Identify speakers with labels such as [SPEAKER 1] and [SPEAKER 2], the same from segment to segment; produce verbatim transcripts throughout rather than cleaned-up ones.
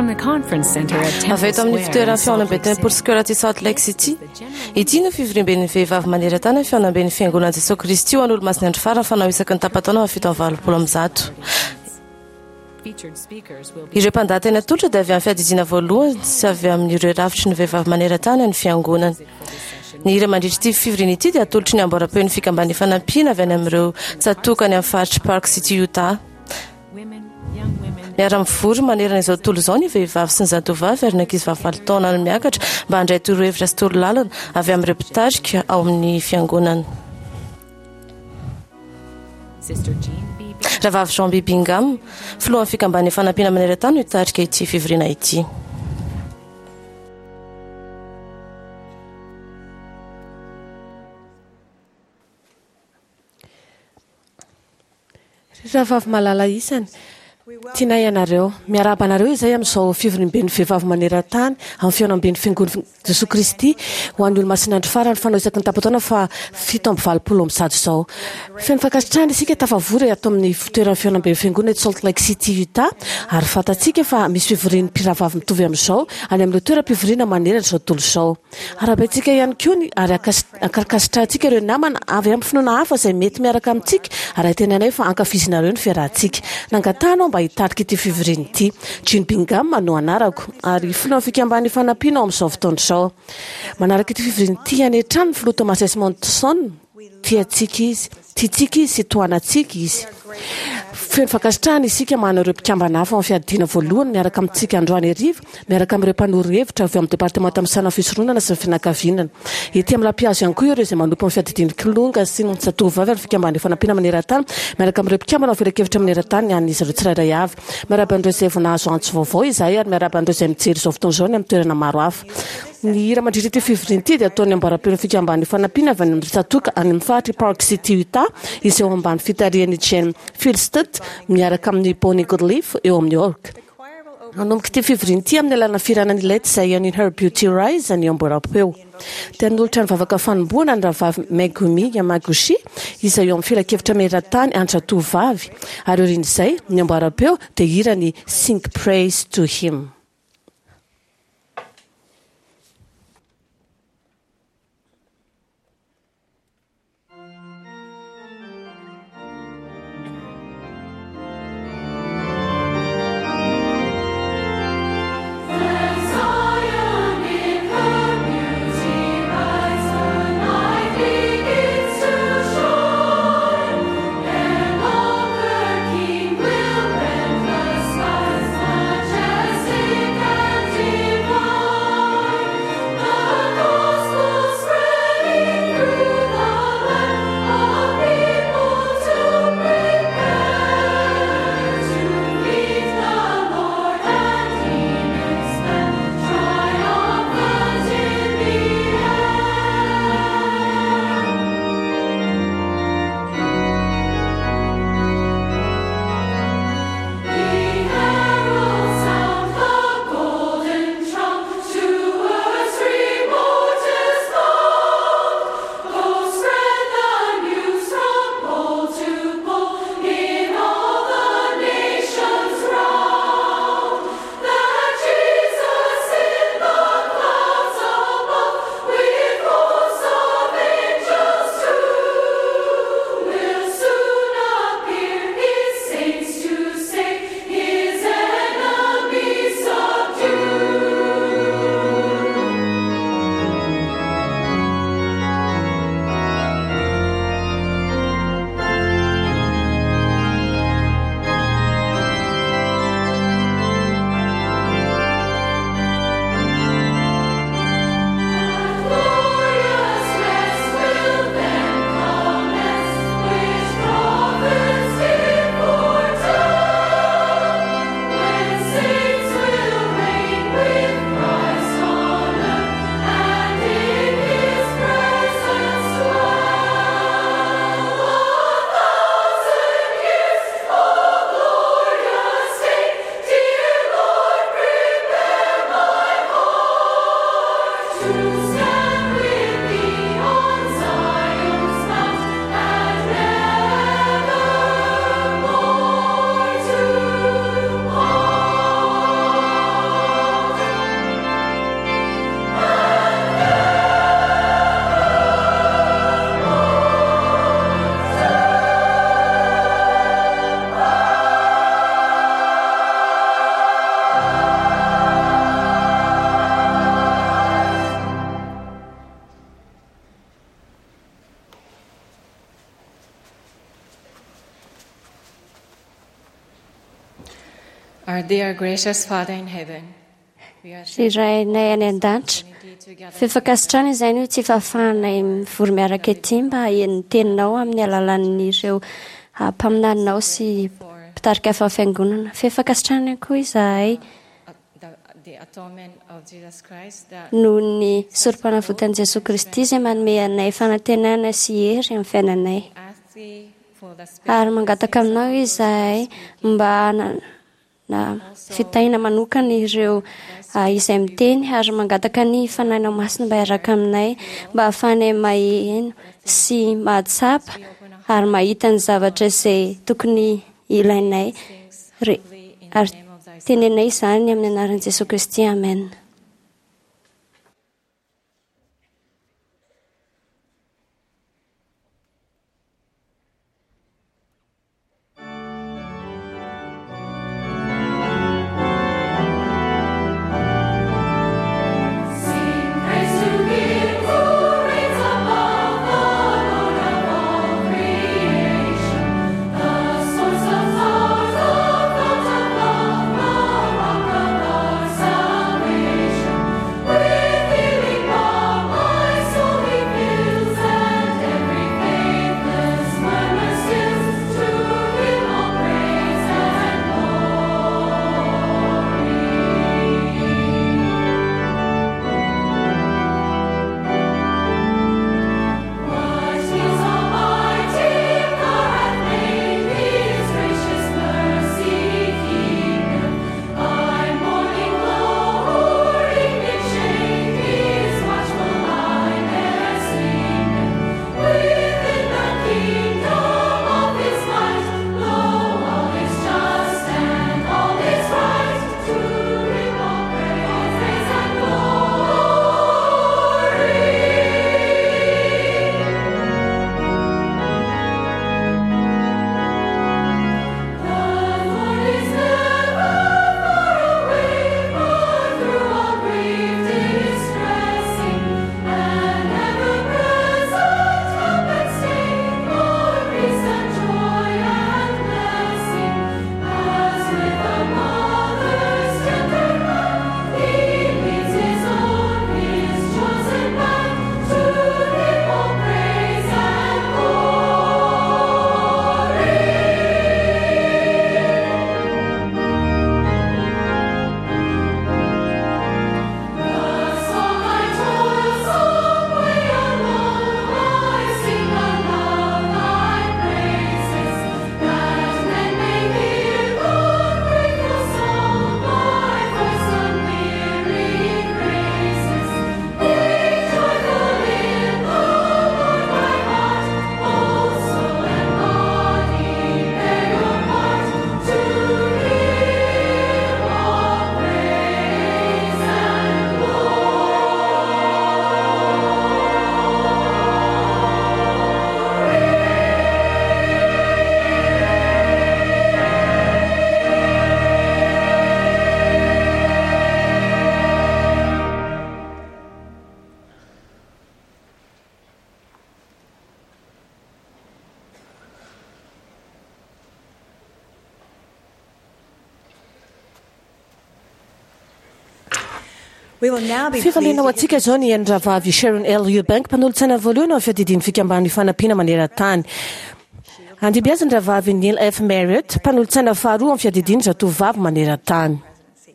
[SPEAKER 1] From the conference center at
[SPEAKER 2] Avy
[SPEAKER 1] Temple
[SPEAKER 2] eto amin'ny
[SPEAKER 1] Square in
[SPEAKER 2] fitoeran'ny
[SPEAKER 1] Salt
[SPEAKER 2] fihaonambe
[SPEAKER 1] Lake
[SPEAKER 2] Temple
[SPEAKER 1] City.
[SPEAKER 2] Square aty Salt Lake City. Ity no fivoriamben'ny vehivavy maneran-tany ny fihaonamben'ny fiangonan'i Jesoa Kristy ho an'Olomasin'ny andro farany fanao isaky ny tapa-taona amin'ny fito amby valopolo amby zato.
[SPEAKER 1] Featured speakers will be
[SPEAKER 2] Ireo mpandahateny atolotra dia avy amin'ny fiadidiana voalohany sy avy amin'ireo rafitry ny vehivavy maneran-tany ny fiangonana. Ny hira mandritra ity fivoriana ity dia atolotry ny amboaram-peon'ny fikamban'ny fanampiana avy any amin'ireo tsatòka any amin'ny faritry Park City, Utah.
[SPEAKER 1] women, young women,
[SPEAKER 2] Miara-mivory manerana izao tontolo izao ny vehivavy sy ny zatovavy ary ny ankizy vavy valo taona no miakatra mba handray torohevitra sy torolalana avy amin'ireo mpitarika ao amin'ny fiangonana.
[SPEAKER 1] Sister Jean B.
[SPEAKER 2] Rahavavy Jean B. Bingham, filohan'ny fikamban'ny fanampiana maneran-tany no hitarika ity fivoriana ity.
[SPEAKER 3] Ry rahavavy malala isany, tianay ianareo. Miarahaba anareo izay amin'izao fivoriamben'ny vehivavy maneran-tany amin'ny fihaonamben'ny fiangonan'i Jesoa Kristy ho an'ny Olomasin'ny andro farany fanao isaky ny tapa-taona fa fito amby valopolo amby zato izao. Feno fankasitrahana isika tafavory ato amin'ny fitoeran'ny fihaonamben'ny fiangonana eto Salt Lake City, Utah, ary fantatsika fa misy fivorian'ny mpirahavavy mitovy amin'izao any amin'ireo toeram-pivoriana manerana izao tontolo izao. Arahabaintsika ihany koa ny ary ankas- ankasitrahantsika ireo namana avy amin'ny finoana hafa izay mety miaraka amintsika ary antenainay fa ankafizinareo ny fiarahantsika. Nangatahana aho mba hitarika ity fivoriana ity. Jean Bingham no anarako ary filohan'ny fikamban'ny fanampiana ao amin'izao fotoana izao. Manaraka ity fivoriana ity any an-trano ny filoha Thomas S. Monson. Tiantsika izy, tiantsika izy sy tohanantsika izy. Feno fankasitrahana isika manana ireo mpikambana hafa ao amin'ny fiadiana voalohany miaraka amintsika androany hariva, miaraka amin'ireo mpanoro hevitra avy ao amin'ny departemanta misahana ny fisoronana sy ny fianakaviana. Ety amin'ny lampihazo ihany koa ireo izay manompo amin'ny fiadidian'ny kilonga sy ny zatovovavy ary fikamban'ny fanampiana maneran-tany miaraka amin'ireo mpikambana ao filankevitra maneran-tany an'izy ireo tsirairay avy. Miarahaba an'ireo izay vao nahazo antso vaovao izahay ary miarahaba an'ireo izay mijery izao fotoana izao any amin'ny toerana maro hafa. Ny hira mandritra ity fivoriana ity dia ataon'ny amboaram-peon'ny fikamban'ny fanampiana avy any amin'ny tsatòka any amin'ny faritry Park City, Utah, izay eo ambany fitarihan'i Jane Philsted miaraka amin'ny Bonnie Goodleaf eo amin'ny orgue. Hanomboka ity fivoriana ity amin'ny alalan'ny fihirana ny Let Zion in Her Beauty Rise ny amboaram-peo. Dia hanolotra ny vavaka fanombohana ny rahavavy Megumi Yamaguchi izay eo amin'ny filankevitra maneran-tany an-dratovavy. Ary aorian'izay, ny amboaram-peo dia hira ny Sing Praise to Him.
[SPEAKER 4] Zion in her beauty rise, her light begins to shine, and all her King will rend the skies, majestic
[SPEAKER 5] Our dear gracious Father in heaven, we are
[SPEAKER 6] Ry Rainay any an-danitra, fifankasitrana izay no tsy fahafahanay mivory miaraka ety mba haheno ny teninao amin'ny alalan'ireo mpaminaninao sy mpitarika hafa amin'ny fiangonana. Fifankasitrana koa izahay
[SPEAKER 5] the, the atonement of Jesus Christ that
[SPEAKER 6] noho ny sorom-panavotan'i Jesoa Kristy izay manome anay fanantenana sy hery amin'ny fiainanay.
[SPEAKER 5] ask thee for the
[SPEAKER 6] Ary mangataka aminao izahay mba hanana fitahiana manokana ireo ah, izay miteny ary mangataka ny Fanahinao Masina mba hiaraka aminay mba hahafahanay maheno sy mahatsapa ary mahita ny zavatra izay tokony ilainay. Re- Ary tenenay izany amin'ny anaran'i Jesoa Kristy. Amen.
[SPEAKER 4] Sing praise to Him who reigns above, the Lord of all creation, the source of power, the fount of love, the rock of our salvation. With healing balm my soul He fills, and every faithless murmur stills. To Him all praise and glory. What His almighty power hath made, His gracious mercy keepeth. By morning glow or evening shade, His watchful eye ne'er sleepeth. Within the kingdom of His might, lo, all is just and all is right. To Him all praise and glory. The Lord is never far away, but through all grief distressing, and ever-present help and stay, for peace and joy and blessing. As with a mother's tender hand, He leads His own, His chosen band. To Him all praise and glory. Thus all my toilsome way alone, I sing aloud Thy praises, that men may hear the grateful song my voice unwearied raises. Be joyful in the Lord, my heart, both soul and body bear your part. To Him all praise and
[SPEAKER 7] We will now be pleased
[SPEAKER 3] Fifaliana ho
[SPEAKER 7] to
[SPEAKER 3] antsika izao ny rahavavy Sharon L. Eubank, mpanolotsaina voalohany ao amin'ny fiadidian'ny fikambanan'ny fanampiana maneran-tany. Handimby azy ny rahavavy Neil F. Marriott, mpanolotsaina faharoa amin'ny fiadidian'ny zatovovavy maneran-tany.
[SPEAKER 7] presidency.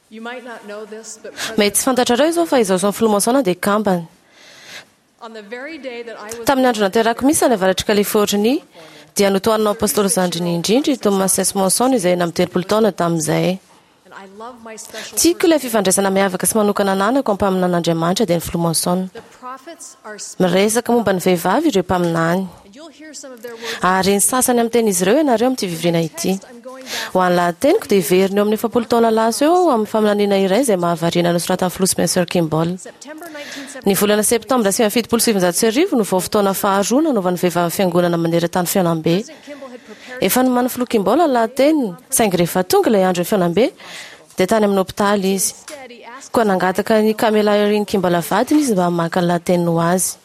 [SPEAKER 8] You might not know this, but
[SPEAKER 2] Mety tsy fantatrareo izao fa izaho sy ny filoha Monson dia kambana.
[SPEAKER 8] on the very day that I was
[SPEAKER 2] Tamin'ny andro naterako misy any avaratry Californie dia notohanina apôstôly zandriny indrindra i Thomas S. Monson izay enina amby telopolo taona tamin'izay.
[SPEAKER 8] and I love my special
[SPEAKER 2] Tiako ilay fifandraisana miavaka sy manokana ananako ampaminan'Andriamanitra dia ny filoha Monson.
[SPEAKER 8] The prophets are speaking,
[SPEAKER 2] Miresaka momba ny vehivavy ireo mpaminany.
[SPEAKER 8] and you'll hear some of their words.
[SPEAKER 2] Ary ny sasany amin'ny tenin'izy ireo ianareo amin'ity fivoriana ity.
[SPEAKER 8] I'm going back
[SPEAKER 2] Ho an'ny lahateniko dia hiverina eo amin'ny efapolo taona lasa eo amin'ny faminaniana iray izay mahavariana nosoratan'ny filoha Spencer Kimball.
[SPEAKER 8] September nineteen
[SPEAKER 2] Ny volana septambra sivy amby fitopolo sy sivinjato sy arivo no vao fotoana faharoa nanaovan'ny vehivavy fiangonana maneran-tany fihaonambe.
[SPEAKER 8] President Kimball had prepared
[SPEAKER 2] Efa nomanin'ny filoha Kimball ny lahateniny, saingy rehefa tonga ilay andro ny fihaonambe dia tany amin'ny hopitaly izy.
[SPEAKER 8] instead he asked
[SPEAKER 2] Koa nangataka ny Kamela Irene Kimball vadiny izy mba hamaky ny lahateniny ho azy.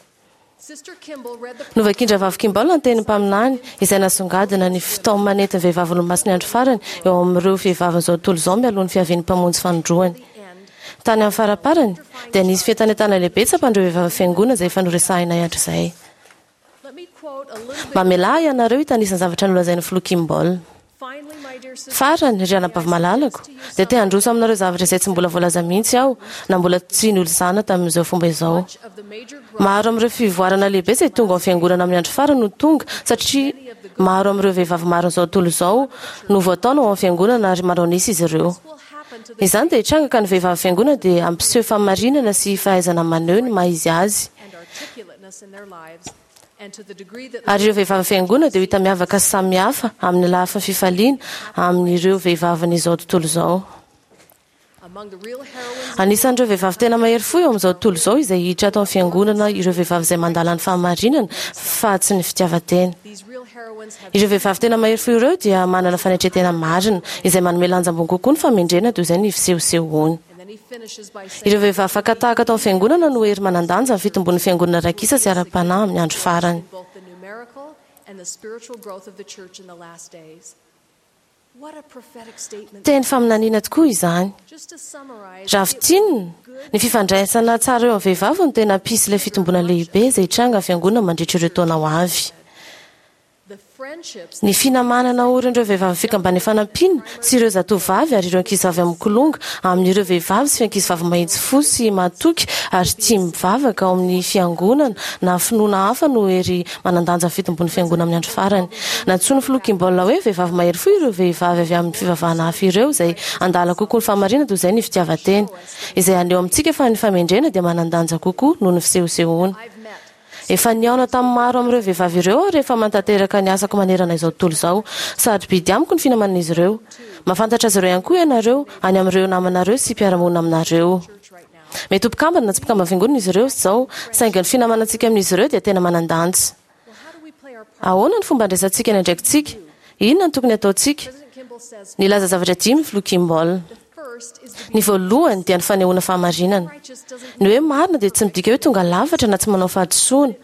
[SPEAKER 2] Novakin-dRahavavy Kimball ny tenin'ny mpaminany izay nasongadina ny fitaomana entin'ny vehivavy olomasin'ny andro farany eo amin'ireo vehivavin'izao tontolo izao mialoha ny fiavian'ny mpamonjy fanindroany. Tany amin'ny faraparany dia nisy fientanentana lehibe tsapan'ireo vehivavy fiangonana izay efa noresahinay hatrizay. Mamelà ianareo hitanisa ny zavatra nolazain'ny filoha Kimball. Farany, ry anabavy malalako, dia te handroso aminareo zavatra izay tsy mbola voalaza mihitsy aho na mbola tsy nolazana tamin'izao fomba izao. Maro amin'ireo fivoarana lehibe izay tonga ao amin'ny fiangonana amin'ny andro farany no tonga satria maro amin'ireo vehivavy marin'izao tontolo izao no voataona ao amin'ny fiangonana ary manao nisy izy ireo. Izany dia hitranga ka ny vehivavy fiangonana dia hampiseho fahamarinana sy fahaizana maneho ny maha izy azy. Ary ireo vehivavy fiangonana dia ho hita miavaka sy samihafa amin'ny lafiny fifaliana amin'ireo vehivavin'izao tontolo izao. Anisan'ireo vehivavy tena mahery fo eo amin'izao tontolo izao izay hiditra ato amin'ny fiangonana ireo vehivavy izay mandala ny fahamarinana fa tsy ny fitiavan-tena. Ireo vehivavy tena mahery fo ireo dia manana fanetren-tena marina izay manome lanja ambony kokoa ny fahamendrehana toy izay ny fisehosehoany. Ireo vehivavy fakan-tahaka ato amin'ny fiangonana no hery manan-danja amin'ny fitombon'ny fiangonana ara-kisa sy ara-panahy amin'ny andro farany. Teny faminaniana tokoa izany. Raha fintinina, ny fifandraisana tsara eo amin'ny vehivavy no tena hampisy ilay fitomboana lehibe izay hitranga amin'ny fiangonana mandritra ireo taona ho avy. Ny finamanana orin'ireo vehivavy fikambanana fanampiana sy ireo zatovavy ary ireo ankizivavy amin'ny kilonga amin'ireo vehivavy sy ankizivavy mahitsy fo sy mahatoky ary tia mivavaka ao amin'ny fiangonana na finoana hafa no hery manan-danja amin'ny fitombon'ny fiangonana amin'ny andro farany. Nantsoin'ny filoha Kimball hoe vehivavy mahery fo ireo vehivavy avy amin'ny fivavahana hafa ireo izay handala kokoa ny fahamarinana toy izay ny fitiavan-tena, izay haneho amintsika fa ny fahamendrehana dia manan-danja kokoa noho ny fisehosehoana. Efa nihaona tamin'ny maro amin'ireo vehivavy ireo aho rehefa manatanteraka ny asako manerana izao tontolo izao. Sarobidy amiko ny finamanan'izy ireo. Mahafantatra azy ireo ihany koa ianareo any amin'ireo namanareo sy mpiara-monina aminareo. Mety ho mpikambana na tsy mpikambana fiangonana izy ireo izao, saingy ny finamanantsika amin'izy ireo dia tena manan-danja. Ahoana ny fomba andraisantsika ny andraikitsika? Inona no tokony hataontsika? Nilaza zavatra dimy ny filoha Kimball. Ny voalohany dia ny fanehoana fahamarinana. Ny hoe marina dia tsy midika hoe tonga lafatra na tsy manao fahadisoana.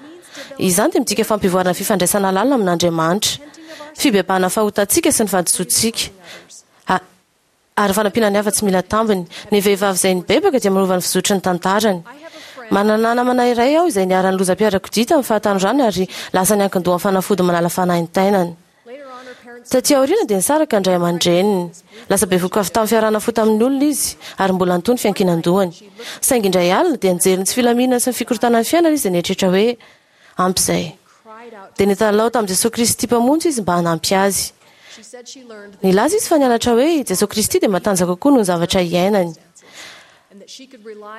[SPEAKER 2] Izany dia midika fampivoarana fifandraisana lalina amin'Andriamanitra, fibebahana fahotantsika sy ny fahadisoantsika, ary fanampiana ny hafa tsy mila tambiny. Ny vehivavy izay nibebaka dia manova ny fizotry ny tantarany. Manana namana iray aho izay niharan'ny lozam-piarakodia tamin'ny fahatanorany ary lasa niankin-doha amin'ny fanafody manala fanaintainana. Taty aoriana dia nisaraka ny ray aman-dreniny. Lasa bevohoka avy tamin'ny fiarahana fo tamin'ny olona izy ary mbola nitohy ny fiankinan-dohany. Saingy indray alina dia nijery ny tsy filaminana sy ny fikorontanan'ny fiainana izy dia nieritreritra hoe ampy izay. Dia nitalaho tamin'i Jesoa Kristy Mpamonjy izy mba hanampy azy. Nilaza izy fa nianatra hoe i Jesoa Kristy dia matanjaka kokoa noho ny zavatra iainany.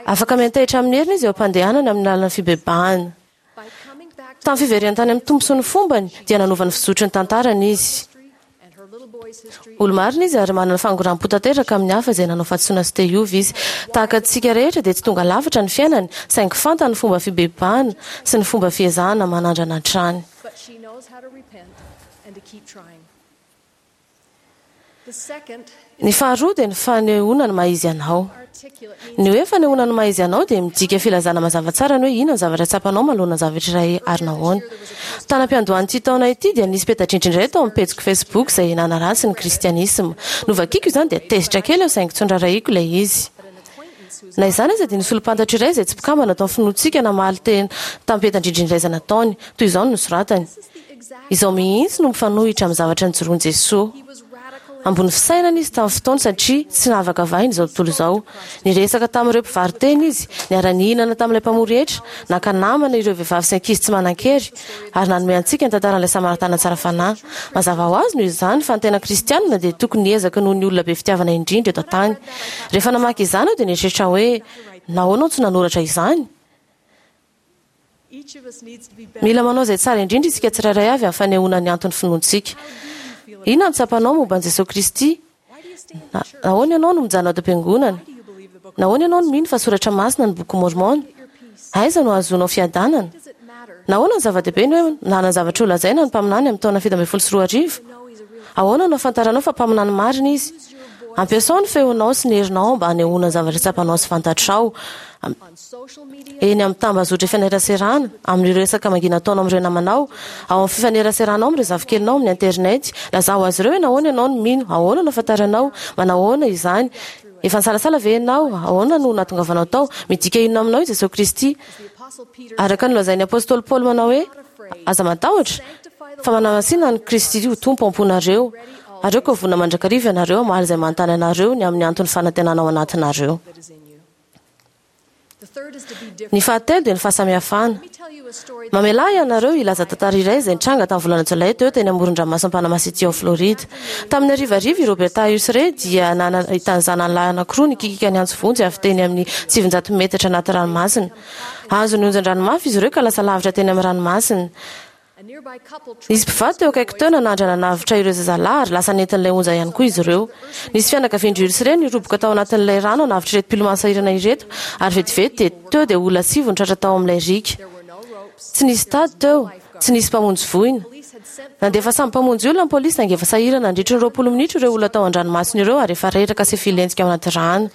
[SPEAKER 2] Afaka miantehitra amin'ny heriny izy eo am-pandehanany amin'ny lalan'ny fibebahana. Tamin'ny fiverenany tany amin'ny Tompo sy ny fombany dia nanova ny fizotry ny tantarany izy. Olo-marina izy ary manana fangoram-po tanteraka amin'ny hafa izay nanao fahadisoana sy te hiova izy. Tahaka antsika rehetra dia tsy tonga lafatra ny fiainany, saingy fantany ny fomba fibebahana sy ny fomba fiezahana manandrana hatrany. Ny faharoa dia ny fanehoana ny maha izy anao. Ny hoe fanehoana ny maha izy anao dia midika filazana mazava tsara ny hoe inona ny zavatra tsapanao manoloana ny zavatra iray ary nahoana. Tany am-piandohan'ity taona ity dia nisy peta-drindrina iray tao amin'ny pejiko Facebook izay nanaratsy ny kristianisma. Novakiko izany dia tezitra kely aho saingy tsy noraharahiako ilay izy. Na izany aza dia nisy olom-pantatro iray izay tsy mpikambana tao amin'ny finoantsika namaly teny tamin'ny peta-drindrina iray izay nataony. Toy izao no nosoratany: Izao mihitsy no mifanohitra amin'ny zavatra nijoroan'i Jesoa. Ambony fisainana izy tamin'ny fotoany satria tsy nahavakavahiny izao tontolo izao. Niresaka tamin'ireo mpivaro-tena izy, niara-nihinana tamin'ilay mpamory hetra, naka namana ireo vehivavy sy ankizy tsy manan-kery, ary nanome antsika ny tantaran'ilay Samaritana tsara fanahy. Mazava ho azy noho izany fa ny tena kristianina dia tokony hiezaka noho ny olona be fitiavana indrindra eto an-tany. Rehefa namaky izany aho dia nieritreritra hoe, Nahoana aho tsy nanoratra izany? Mila manao izay tsara indrindra isika tsirairay avy amin'ny fanehoana ny anton'ny finoantsika. Inona no tsapanao momba an'i Jesoa Kristy? Nahoana ianao no mijanona ato am-piangonana? Nahoana ianao no mino fa soratra masina ny Boky Môrmôna? Aiza no ahazoanao fiadanana? Nahoana no zava-dehibe ny hoe nanana zavatra holazaina ny mpaminany amin'ny taona fito ambin'ny folo sy roa arivo? Ahoana no ahafantaranao fa mpaminany marina izy? Ampiasao ny feonao sy ny herinao mba hanehoana ny zavatra tsapanao sy fantatrao. Eny amin'ny tambazotra fifaneraserana, amin'ireo resaka mangina ataonao amin'ireo namanao, ao amin'ny fifaneraseranao amin'ireo zafikelinao amin'ny internet. Lazao azy ireo hoe nahoana ianao no mino, ahoana no ahafantaranao, manahoana izany. Efa nisalasala ve ianao? Ahoana no nahatongavanao tao? Midika inona aminao i Jesosy Kristy? Araka ny nolazain'ny apostoly Paoly manao hoe, aza matahotra, fa manamasina an'i Kristy ho Tompo ao am-ponareo. Ary aoka ho vonona mandrakariva ianareo hamaly izay manontany anareo ny amin'ny anton'ny fanantenana ao anatinareo. Ny fahatelo dia ny fahasamihafana. Mamelà ianareo hilaza tantara iray izay nitranga tamin'ny volana Jolay teo teny amoron-dranomasin'i Panama City ao Floride. Tamin'ny harivariva i Roberta Usrey dia nahita ny zanany lahy anankiroa nikikika niantso vonjy avy teny amin'ny sivinjato metatra anaty ranomasina. Azon'ny onjan-drano mafy izy ireo ka lasa lavitra teny amin'ny ranomasina. Nisy mpivady teo akaiky teo nanandrana nanavotra ireo zazalahy ary lasa nentin'ilay onja ihany koa izy ireo. Nisy fianakavian-dry Usrey niroboka tao anatin'ilay rano hanavotra ireto mpilomano sahirana ireto ary vetivety dia teo dia olona sivy no tratra tao amin'ilay riaka. Tsy nisy tady teo, tsy nisy mpamonjy voina. Nandefa sambo mpamonjy olona ny polisy saingy efa sahirana nandritra ny roapolo minitra ireo olona tao an-dranomasina ireo ary efa reraka sy filentika ao anaty rano.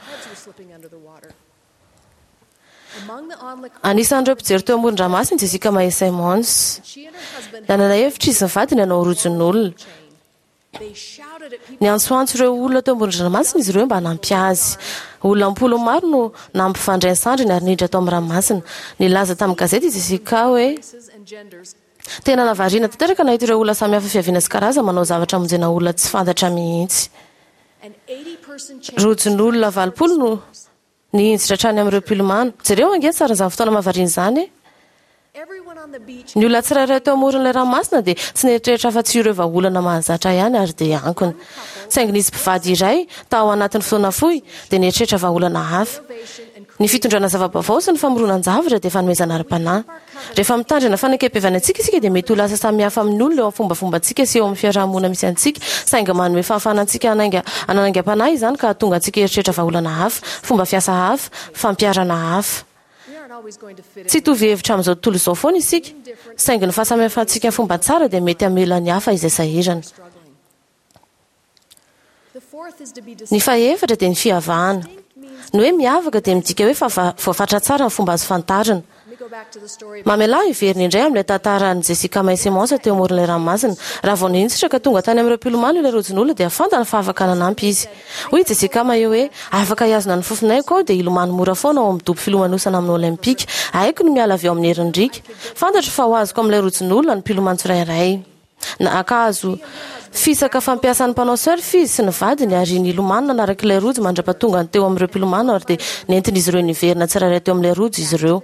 [SPEAKER 2] Anisan'ireo mpijery teo amoron-dranomasina i Jessica Mae Simons. Nanana hevitra izy mivady ny hanao rojon'olona. Niantsoantso ireo olona teo amoron-dranomasina izy ireo mba hanampy azy. Olona am-polo maro no nampifandray ny sandriny ary niditra tao amin'ny ranomasina. Nilaza tamin'ny gazety i Jessica hoe tena nahavariana tanteraka nahita ireo olona samihafa fiaviana sy karazana manao zavatra hamonjena olona tsy fantatra mihitsy. Rojon'olona valopolo no nihinjitra hatrany amin'ireo mpilomano. Jereo ange tsara izany fotoana mahavariana izany e! Ny olona tsirairay teo amoron'ilay ranomasina dia tsy nieritreritra afa-tsy ireo vahaolana mahazatra ihany ary dia ankony. Saingy nisy mpivady iray tao anatin'ny fotoana fohy dia nieritreritra vahaolana hafa. Ny fitondrana zava-baovao sy ny famoronan-javatra dia fanomezana ara-panahy. Rehefa mitandrina fanekempihavanana antsika isika dia mety ho lasa samihafa amin'ny olona eo amin'ny fombafombantsika sy eo amin'ny fiarahamonina misy antsika, saingy manome fahafahana antsika hanainga hananaingam-panahy izany ka hahatonga antsika hieritreritra vahaolana hafa, fomba fiasa hafa, fampiharana hafa. Tsy hitovy hevitra amin'izao tontolo izao foana isika, saingy ny fahasamihafantsika fomba tsara dia mety hamela ny hafa izay sahirana. Ny fahefatra dia ny fiavahana. Ny hoe miavaka dia midika hoe fa voafatra tsara ny fomba azo fantarina. Mamelà hiverina indray amin'ilay tantaran'i Jessica Mae Simons teo amoron'ilay ranomasina. Raha vao nihinjitra ka tonga tany amin'ireo mpilomano ilay rojon'olona dia fantany fa afaka nanampy izy. Hoy i Jessica Mae hoe, afaka hihazona ny fofonaiko aho dia hilomano mora foana ao amin'ny dobo filomanosana amin'ny Olympika. Haiko ny miala avy eo amin'ny herin'ny riaka. Fantatro fa ho azoko amin'ilay rojon'olona ny mpilomano tsirairay. Naka azo fisaka fampiasan'ny mpanao surf izy sy ny vadiny ary nilomano nanaraka ilay rojo mandra-pahatongany teo amin'ireo mpilomano ary dia nentin'izy ireo niverina tsirairay teo amin'ilay rojo izy ireo,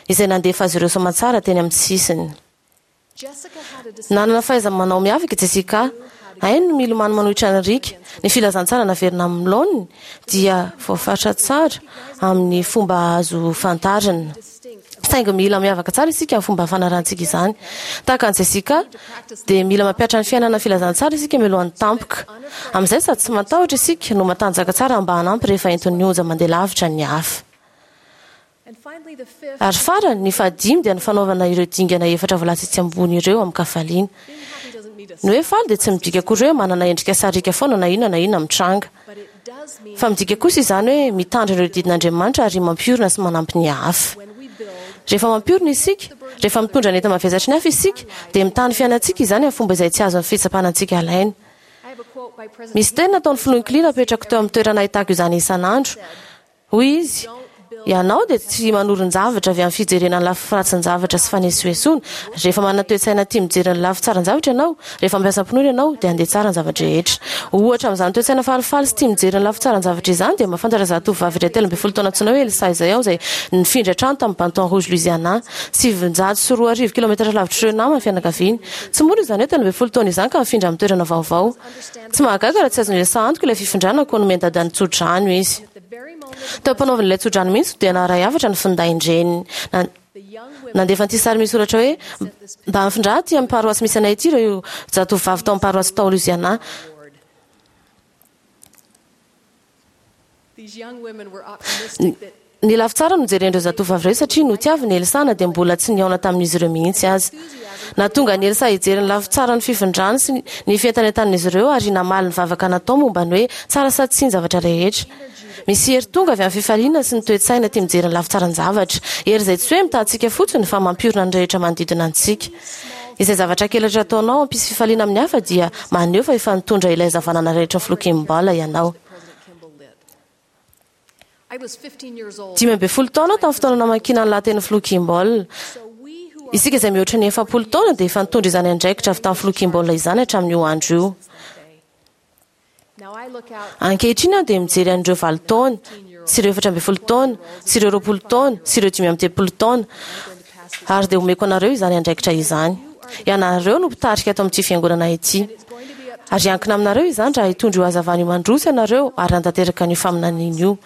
[SPEAKER 2] izay nandefa azy ireo soamantsara teny amin'ny sisiny. Nanana fahaiza-manao miavaka i Jessica. Hainy ny milomano manohitra ny riaka. Ny filazantsara naverina amin'ny laoniny dia voafaritra tsara amin'ny fomba azo fantarina. Saingy mila miavaka tsara isika amin'ny fomba fanarahantsika izany. Tahaka an'i Jessica dia mila mampihatra ny fiainana filazantsara isika mialohan'ny tampoka. Amin'izay sady tsy matahotra isika no matanjaka tsara mba hanampy rehefa entin'ny onja mandeha lavitra ny hafa. Ary farany, ny fahadimy dia ny fanaovana ireo dingana efatra voalaza etsy ambony ireo amin-kafaliana. Ny hoe faly dia tsy midika akory hoe manana endrika sariaka foana na inona na inona mitranga. Fa midika kosa izany hoe mitandrina ireo didin'Andriamanitra ary mampiorina sy manampy ny hafa. Rehefa mampiorina isika, rehefa mitondra ny enta-mavesatry ny hafa isika, dia mitaha ny fiainantsika izany amin'ny fomba izay tsy azon'ny fitsapana antsika alaina. Misy teny nataon'ny filoha Hinckley napetrako teo amin'ny toerana ahitako izany isan'andro. Hoy izy, ianao dia tsy manorin-javatra avy amin'ny fijerena ny lafy ratsin-javatra sy fanesoesoana. Rehefa manana toe-tsaina tia mijery ny lafy tsaran-javatra ianao, rehefa mampiasa finoana ianao, dia handeha tsara ny zava-drehetra. Ohatra amin'izany toe-tsaina falifaly sy tia mijery ny lafy tsaran-javatra izany dia mahafantatra zatovovavy iray telo ambin'ny folo taona antsoina hoe Elsa izay aho izay nifindra trano tamin'ny Baton Rouge Louisiana, sivinjato sy roa arivo kilometatra lavitr'ireo namany fianakaviany. Tsy mora izany hoe telo ambin'ny folo taona izany ka mifindra amin'ny toerana vaovao. Tsy mahagaga raha tsy azon'i Elsa antoka ilay fifindrana koa nomeny dadany tso-drano izy. Teo am-panaovana ilay tso-drano mihitsy dia naharay hafatra ny findain-dreniny. Nandefa an'ity sary misy soratra hoe mba mifindra aty amin'ny paroasy misy anay ity ireo zatovovavy tao amin'ny paroasy tao Louisiana.
[SPEAKER 8] These young women were optimistic that
[SPEAKER 2] Ny lafy tsara no jeren'ireo zatovavy ireo satria notiaviny Elsa na dia mbola tsy nihaona tamin'izy ireo mihitsy aza. Nahatonga an'i Elsa hijery ny lafy tsara ny fifindrany sy ny fientanentan'izy ireo ary namaly ny vavaka natao momba ny hoe tsara sady tsy ny zavatra rehetra. Misy hery tonga avy amin'ny fifaliana sy ny toe-tsaina tia mijery ny lafy tsaran-javatra. Hery izay tsy hoe mitahantsika fotsiny fa mampiorina ny rehetra manodidina antsika. Izay zavatra kely rehetra ataonao hampisy fifaliana amin'ny hafa dia maneho fa efa nitondra ilay hazavanana rehetra ny filoha Kimball ianao. Dimy ambin'ny folo taona tamin'ny fotoana namakiana ny lahatenin'ny filoha Kimball. Isika izay mihoatra ny efapolo taona dia efa nitondra izany andraikitra avy tamin'ny filoha Kimball izany hatramin'io andro io. Ankehitriny aho dia mijery an'ireo valo taona, sy ireo efatra ambin'ny folo taona, sy ireo roapolo taona, sy ireo dimy amby telopolo taona, ary dia omeko anareo izany andraikitra izany. Ianareo no mpitarika ato amin'ity fiangonana ity. Ary hiankina aminareo izany raha hitondra io hazavana io mandroso ianareo ary hanatanteraka an'io faminaniana io.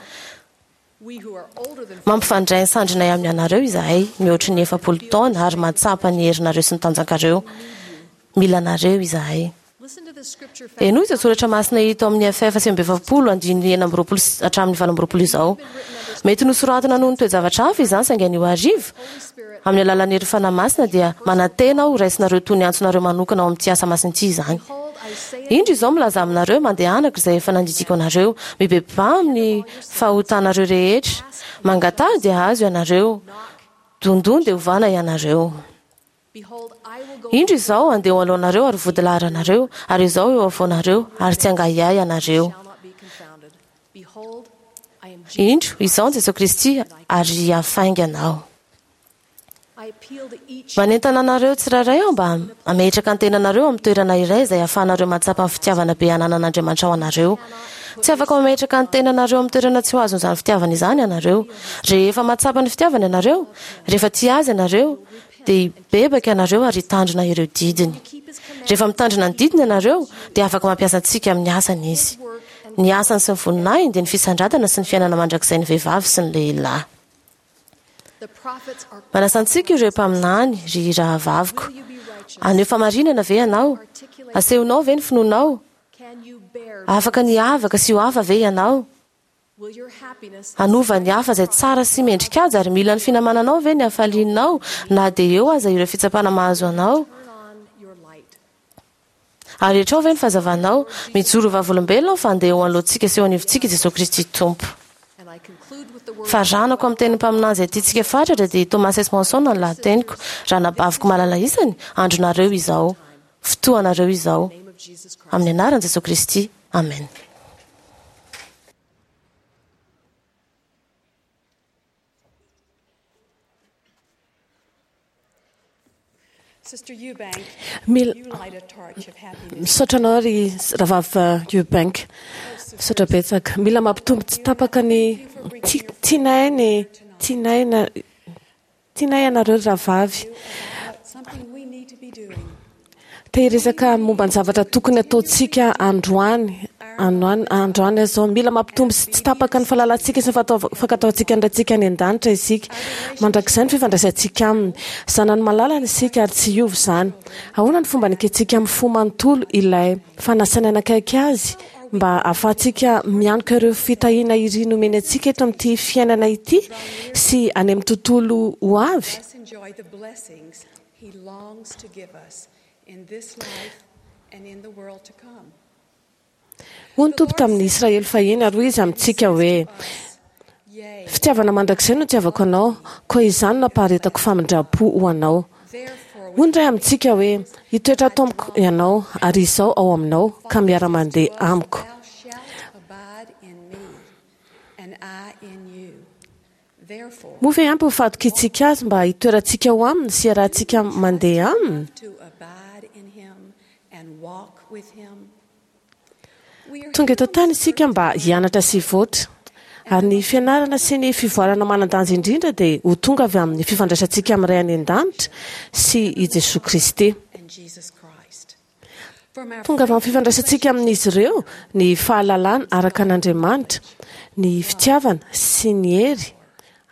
[SPEAKER 2] Mampifandray ny sandrinay amin'ny anareo izahay, mihoatry ny efapolo taona, ary mahatsapa ny herinareo sy ny tanjakareo. Mila anareo izahay. Henoy izao soratra masina hita ao amin'ny F F sivy amby efapolo andininy enina amby roapolo hatramin'ny valo amby roapolo izao. Mety nosoratana noho ny toe-javatra hafa izany saingy anio hariva, amin'ny alalan'ny herin'ny Fanahy Masina dia manantena aho ho raisinareo toy ny antsonareo manokana ao amin'ity asa masina ity izany. Indro izao milaza aminareo, mandehanako izay efa nandidiako anareo, mibebaha amin'ny fahotanareo rehetra, mangataha dia hahazo ianareo, dondon dia hovana ianareo. Indro izao handeha ho alohanareo ary vodilaharanareo, ary izao eo afovoanareo, ary tsy hangahiahy ianareo. Indro, izao ny Jesoa Kristy, ary hafaingana aho. Manentana anareo tsirairay aho mba hametraka ny tenanareo amin'ny toerana iray izay ahafahanareo mahatsapa ny fitiavana be ananan'Andriamanitra ho anareo. Tsy afaka mametraka ny tenanareo amin'ny toerana tsy ho azon'izany fitiavana izany ianareo. Rehefa mahatsapa ny fitiavana ianareo, rehefa tia Azy ianareo, dia hibebaka ianareo ary hitandrina ireo didiny. Rehefa mitandrina ny didiny ianareo, dia afaka mampiasa antsika amin'ny asany Izy. Ny asany sy ny voninahiny dia ny fisandratana sy ny fiainana mandrakizay ny vehivavy sy ny lehilahy. Manasa antsika ireo mpaminany, ry rahavaviko. Haneho fahamarinana ve ianao? Asehonao ve ny finoanao? Afaka ny hiavaka sy ho hafa ve ianao? Hanova ny hafa izay tsara sy mendrika-aja ary mila ny finamananao ve ny hafalianao na dia eo aza ireo fitsapana mahazo anao? Ary hetrao ve ny fahazavanao? Mijoro ho vavolombelona aho fa handeha eo anoloantsika sy eo anivontsika i Jesoa Kristy Tompo. Faranako amin'ny tenin'ny mpaminany izay tiantsika fatratra dia i Thomas S. Monson ny lahateniko. Ranabaviko malala isany, andronareo izao. Fotoanareo izao. Amin'ny anaran'i Jesoa Kristy. Amen.
[SPEAKER 3] Mila misaotra anao ry rahavavy Eubank. Misaotra betsaka. Mila mampitombo tsy tapaka ny tianay ny tianay na tianay ianareo ry rahavavy. Te hiresaka momba ny zavatra tokony ataontsika androany, androany, androany aho izao. Mila mampitombo sy tsy tapaka ny fahalalantsika sy ny fankatoavantsika ny Raintsika any an-danitra isika. Mandrakizay ny fifandraisantsika Aminy. Zanany malalany isika ary tsy hiova izany. Ahoana ny fomba anekentsika amin'ny fo manontolo ilay fanasany hanakaiky Azy mba hahafahantsika mianoka ireo fitahiana iriny omeny antsika eto amin'ity fiainana ity sy any amin'ny tontolo ho avy?
[SPEAKER 7] He longs to give us in this life and in the world to come.
[SPEAKER 3] Hoy ny Tompo tamin'ny Israely fahiny, ary hoy Izy amintsika hoe, Fitiavana mandrakizay no itiavako anao, koa izany no ampaharetako famindram-po ho anao. Hoy ny Ray amintsika hoe, Hitoetra ato amiko ianao, ary Izaho ao aminao, ka miara-mandeha amiko. Moa ve ampy ny fahatokiantsika Azy mba hitoerantsika ao Aminy sy hiarahantsika mandeha Aminy? Tonga eto an-tany isika mba hianatra sy hivoatra. Ary ny fianarana sy ny fivoarana manan-danja indrindra dia ho tonga avy amin'ny fifandraisantsika amin'ny Ray any An-danitra sy i Jesoa Kristy. Tonga avy amin'ny fifandraisantsika amin'izy ireo ny fahalalana araka an'Andriamanitra, ny fitiavana sy ny hery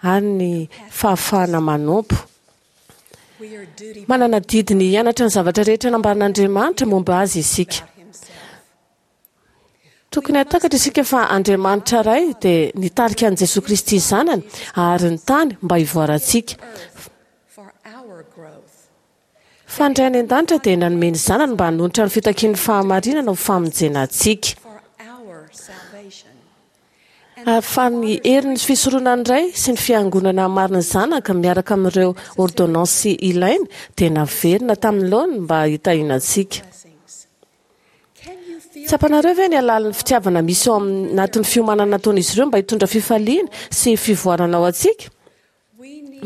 [SPEAKER 3] ary ny fahafahana manompo. Manana adidy ny hianatra ny zavatra rehetra nambaran'Andriamanitra momba azy isika. Tokony hahatakatra isika fa Andriamanitra Ray dia nitarika an'i Jesoa Kristy Zanany ary ny tany mba hivoarantsika. Fa ny Ray any an-danitra dia nanome ny Zanany mba hanonitra ny fitakian'ny fahamarinana ho famonjena antsika. Ary fa ny herin'ny fisoronan'ny Ray sy ny Fiangonana marin'ny Zanaka miaraka amin'ireo ôrdônansy ilaina dia naverina tamin'ny laoniny mba hitahiana antsika. Tsapanareo ve ny halalin'ny fitiavana misy ao anatin'ny fiomanana nataon'izy ireo mba hitondra fifaliana sy fivoarana ho antsika?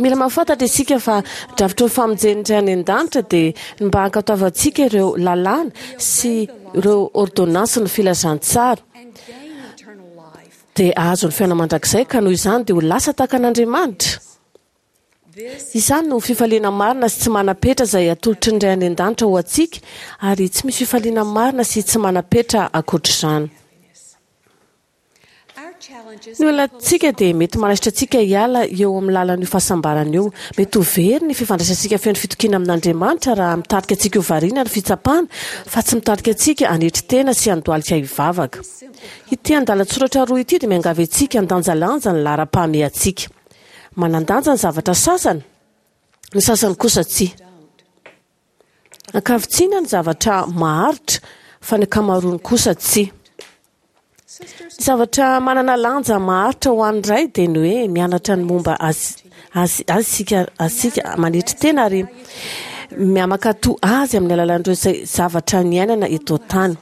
[SPEAKER 3] Mila mahafantatra isika fa drafitry ny famonjen'ny Ray any an-danitra dia ny mba hankatoavantsika ireo lalàna sy ireo ôrdônansin'ny filazantsara dia hahazo ny fiainana mandrakizay, ka noho izany dia ho lasa tahaka an'Andriamanitra. Izany no fifaliana marina sy tsy manam-petra izay atolotry ny Ray any an-danitra ho antsika, ary tsy misy fifaliana marina sy tsy manam-petra ankoatr'izany. Ny olantsika dia mety manaisotra antsika hiala eo amin'ny lalan'io fahasambarana io. Mety ho very ny fifandraisantsika feno fitokiana amin'Andriamanitra raha mitarika antsika ho variana ny fitsapana, fa tsy mitarika antsika hanetry tena sy handohalika hivavaka. Ity andalan-tsoratra roa ity dia miangavy antsika handanjalanja ny laharam-pahamehantsika. Manan-danja ny zavatra sasany, ny sasany kosa tsia. Ankavitsiana ny zavatra maharitra, fa ny ankamaroany kosa tsia. Ny zavatra manana lanja maharitra ho an'ny Ray dia ny hoe mianatra ny momba azy, azy, azy isika, azy isika manetry tena ary miamankato azy amin'ny alalan'ireo izay zavatra niainana eto an-tany.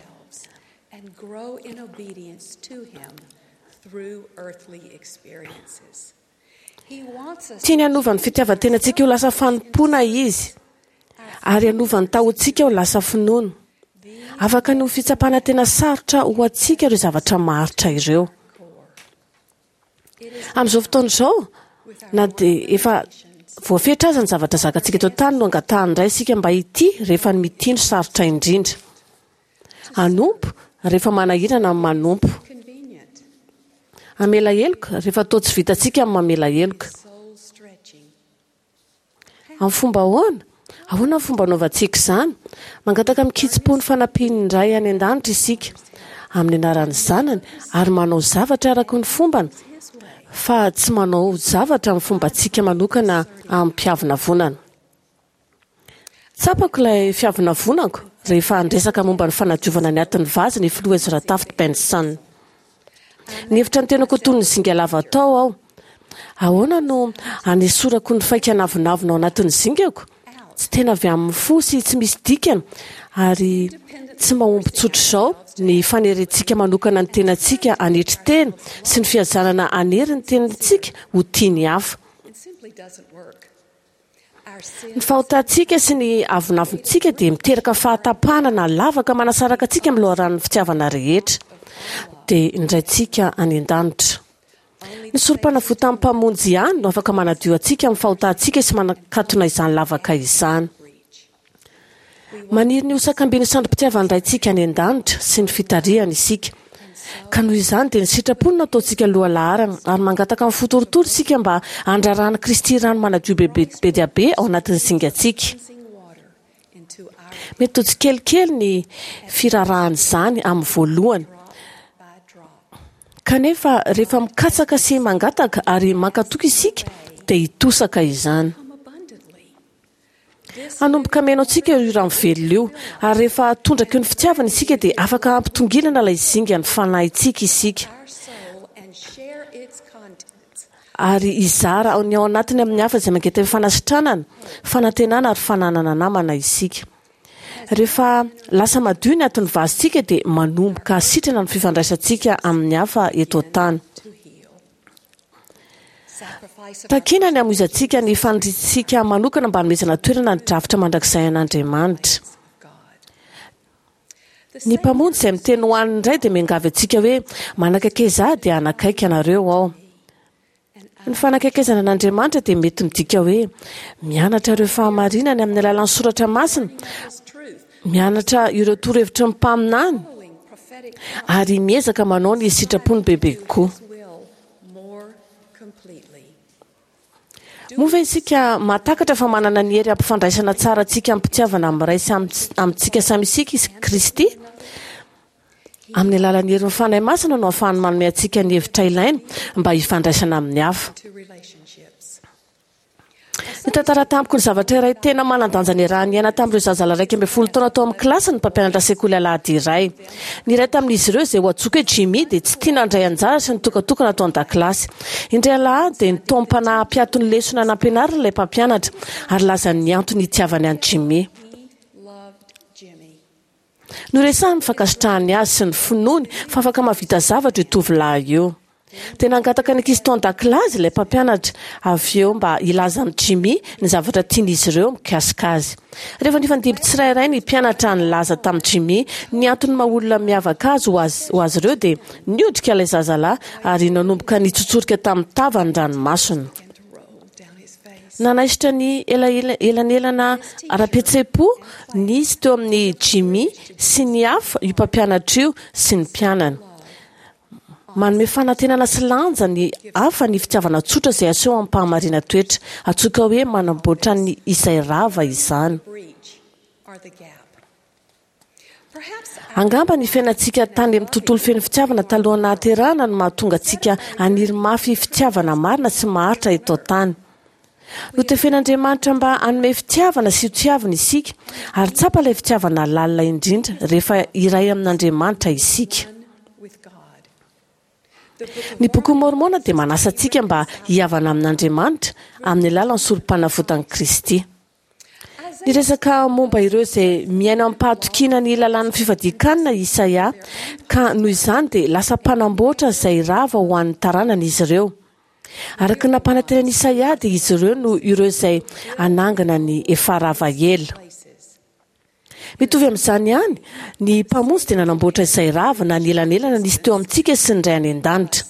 [SPEAKER 7] And grow in obedience to him through earthly experiences. He wants us
[SPEAKER 3] Tiany hanova ny fitiavan-tenantsika ho lasa fanompoana izy, ary hanova ny tahontsika ho lasa finoana. Afaka ny ho fitsapana tena sarotra ho antsika ireo zavatra maharitra ireo. Amin'izao fotoana izao, na dia efa voafetra aza ny zavatra zakantsika eto an-tany no angatahany indray isika mba hitia rehefa ny mitia no sarotra indrindra. Hanompo rehefa manahirana ny manompo.
[SPEAKER 7] convenient,
[SPEAKER 3] Hamela heloka rehefa toa tsy vitantsika ny mamela heloka.
[SPEAKER 7] soul stretching.
[SPEAKER 3] Amin'ny fomba ahoana? Ahoana ny fomba anaovantsika izany? Mangataka amin-kitsim-po ny fanampian'ny Ray any an-danitra isika amin'ny anaran'ny Zanany ary manao zavatra araka ny fombany, fa tsy manao zavatra amin'ny fombantsika manokana amim-piavonavonana. Tsapako ilay fiavonavonako rehefa niresaka momba ny fanadiovana ny atin'ny vazy ny filoha Ezra Taft Benson. Nihevitra ny tenako ho toy ny zinga lava tao aho. Ahoana no anesorako ny faika navonavona ao anatin'ny zingako? Tsy tena avy amin'ny fo sy tsy misy dikany ary tsy mahomby tsotra izao ny fanerentsika manokana ny tenantsika hanetry tena sy ny fiazanana hanery ny tenantsika ho tia ny hafa.
[SPEAKER 7] It simply doesn't work. Our
[SPEAKER 3] Ny
[SPEAKER 7] sin
[SPEAKER 3] fahotantsika sy ny avonavontsika dia miteraka fahatapahana na lavaka manasaraka antsika amin'ny loharanon'ny fitiavana rehetra, dia ny Raintsika any an-danitra. Ny sorom-panavotan'ny Mpamonjy ihany no afaka manadio antsika amin'ny fahotantsika sy manakatona izany lavaka izany. Maniry ny ho sakambin'ny sandrim-pitiavan'ny Raintsika any an-danitra sy ny fitarihany isika. Ka noho izany dia ny sitrapony no ataontsika lohalaharana, ary mangataka amin'ny fo torotoro isika mba handrarahan'i Kristy rano manadio bebe be dia be ao anatin'ny zingantsika.
[SPEAKER 7] cleansing water into our
[SPEAKER 3] Mety ho tsikelikely ny firarahan'izany amin'ny voalohany,
[SPEAKER 7] by drop.
[SPEAKER 3] kanefa rehefa mikatsaka sy mangataka ary mankatoky isika dia hitosaka izany.
[SPEAKER 7] Come abundantly.
[SPEAKER 3] Hanomboka mihaino antsika io rano velona io, ary rehefa tondraky ny fitiavana isika dia afaka hampitongilana ilay zinga ny fanahintsika isika,
[SPEAKER 7] Our soul and share its contents.
[SPEAKER 3] ary hizara ny ao anatiny amin'ny hafa izay mangetaheta fanasitranana, fanantenana ary fananana namana isika. Rehefa lasa madio ny atin'ny vazintsika dia manomboka sitrana ny fifandraisantsika amin'ny hafa eto an-tany.
[SPEAKER 7] To heal. Sacrifice of
[SPEAKER 3] Takina ny hamoizantsika ny faniriantsika manokana mba hanomezana toerana ny drafitra mandrakizay an'Andriamanitra.
[SPEAKER 7] God. The
[SPEAKER 3] Ny Mpamonjy izay miteny ho an'ny Ray dia miangavy antsika hoe manakaikeza ahy dia hanakaiky anareo aho. Ny fanakaikezana an'Andriamanitra dia mety midika hoe mianatra ireo fahamarinany amin'ny alalan'ny soratra masina,
[SPEAKER 7] His truth,
[SPEAKER 3] mianatra ireo torohevitry ny mpaminany
[SPEAKER 7] following prophetic
[SPEAKER 3] ary miezaka manao ny sitrapony bebe kokoa.
[SPEAKER 7] His will more completely.
[SPEAKER 3] Moa ve isika mahatakatra fa manana ny hery hampifandraisana tsara antsika amin'ny fitiavana amin'ny Ray sy amin'ny- amintsika samy isika izy Kristy? Amin'ny alalan'ny herin'ny Fanahy Masina no ahafahany manome antsika ny hevitra ilaina mba hifandraisana amin'ny hafa. Nitantara tamiko ny zavatra iray tena manan-danja niaraha-niaina tamin'ireo zazalahy iraika ambin'ny folo taona tao amin'ny kilasiny ny mpampianatra sekoly alahady iray. Ny iray tamin'izy ireo, izay ho antsoiko hoe Jimmy, dia tsy tia nandray anjara sy nitokatokana tao an-dakilasy. Indray alahady dia nitaom-panahy hampiato ny lesona nampianariny ilay mpampianatra ary lazany ny antony hitiavany an'i Jimmy. Noresahiny ny fankasitrahany azy sy ny finoany fa afaka mahavita zavatra io tovolahy io. Dia nangataka ny ankizy tao an-dakilasy ilay mpampianatra avy eo mba hilaza amin'i Jimmy ny zavatra tian'izy ireo mikasika azy. Rehefa nifandimby tsirairay ny mpianatra nilaza tamin'i Jimmy ny antony maha olona miavaka azy ho azy ho azy ireo dia niondrika ilay zazalahy ary nanomboka nitsotsorika tamin'ny tavany ny ranomasony. Nanaisotra ny elanelana ara-pihetseham-po nisy teo amin'i Jimmy sy ny hafa io mpampianatra io sy ny mpianany. Manome fanantenana sy lanja ny hafa ny fitiavana tsotra izay aseho amim-pahamarinan-toetra. Antsoiko hoe manamboatra ny izay rava izany. Angamba ny fiainantsika tany amin'ny tontolo feno fitiavana talohan'ny nahaterahana no mahatonga antsika haniry mafy fitiavana marina sy maharitra eto an-tany. Notefen'Andriamanitra mba hanome fitiavana sy ho tiavina isika, ary tsapa ilay fitiavana lalina indrindra rehefa iray amin'Andriamanitra isika. Ny Bokin'i Môrmôna dia manasa antsika mba hihavana amin'Andriamanitra amin'ny alalan'ny Sorompanavotan'i Kristy. Niresaka momba ireo izay miaina amim-pahatokiana ny lalàn'ny fifadian-kanina i Isaia, ka noho izany dia lasa mpanamboatra izay rava ho an'ny taranany izy ireo. Araka ny nampanantenan'i Isaia dia izy ireo no ireo izay hanangana ny efa rava ela. Mitovy amin'izany ihany, ny Mpamonjy dia nanamboatra izay rava na ny elanelana nisy teo amintsika sy ny Ray any An-danitra.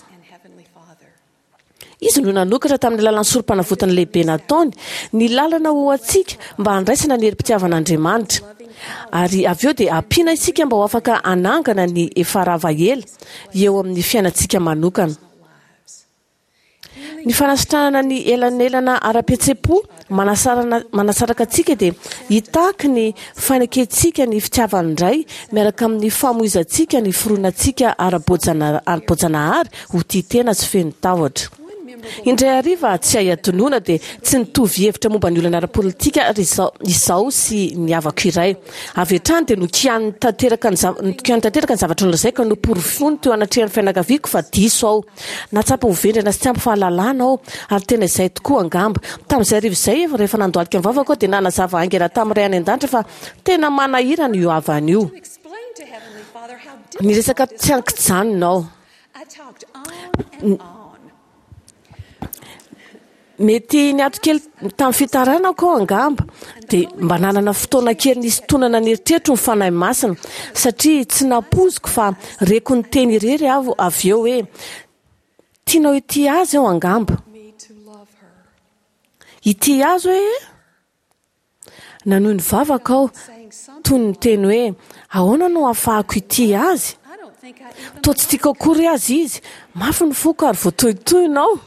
[SPEAKER 3] Izy no nanokatra tamin'ny alalan'ny Sorompanavotana lehibe nataony ny lalana ho antsika mba handraisana ny herim-pitiavan'Andriamanitra. Ary avy eo dia ampiana isika mba ho afaka hanangana ny efa rava ela eo amin'ny fiainantsika manokana. Ny fanasitranana ny elanelana ara-pihetseham-po manasarana manasaraka antsika dia hitaky ny fanekentsika ny fitiavan'ny Ray miaraka amin'ny famoizantsika ny fironantsika ara-boajanahary ho tia tena sy feno tahotra. Indray hariva tsy hay adinoina dia tsy nitovy hevitra momba ny olana ara-politika ary izaho sy ny havako iray. Avy hatrany dia nokianiny tanteraka ny nokianiny tanteraka ny zavatra nolazaiko ka noporofoiny teo anatrehan'ny fianakaviako fa diso aho. Nahatsapa ho vendrana sy tsy ampy fahalalana aho, ary tena izay tokoa angamba. Tamin'izay hariva izay, rehefa nandohalika ny vavako aho, dia nanazava haingana tamin'ny Ray any An-danitra fa tena manahirana io havana io. Niresaka tsy an-kijanona aho. Mety niato kely tamin'ny fitarainako aho angamba, dia mba nanana fotoana kely nisintonana ny eritreritro ny Fanahy Masina, satria tsy nampoiziko fa reko niteny irery aho avy eo hoe, Tianao hitia azy aho angamba. Hitia azy hoe? Nanohy nivavaka aho, toy ny niteny hoe, Ahoana no ahafahako hitia azy? Toa tsy tiako akory aza izy. Mafy ny foko ary voatohintohina aho.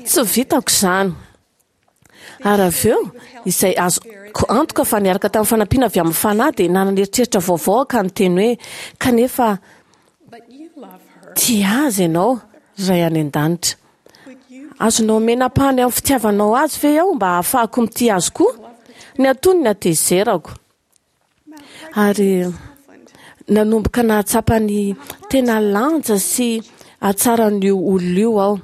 [SPEAKER 3] Tsy vitako izany. Ary avy eo, izay azoko antoka fa niaraka tamin'ny fanampiana avy amin'ny Fanahy, dia nanana eritreritra vaovao aho ka niteny hoe, Kanefa tia azy ianao, Ray any An-danitra. Azonao omena ampahany amin'ny fitiavanao azy ve aho mba hahafahako mitia azy koa? Ny antonony ny hatezerako. Ary nanomboka nahatsapa ny tena lanja sy hatsaran'io olona io aho.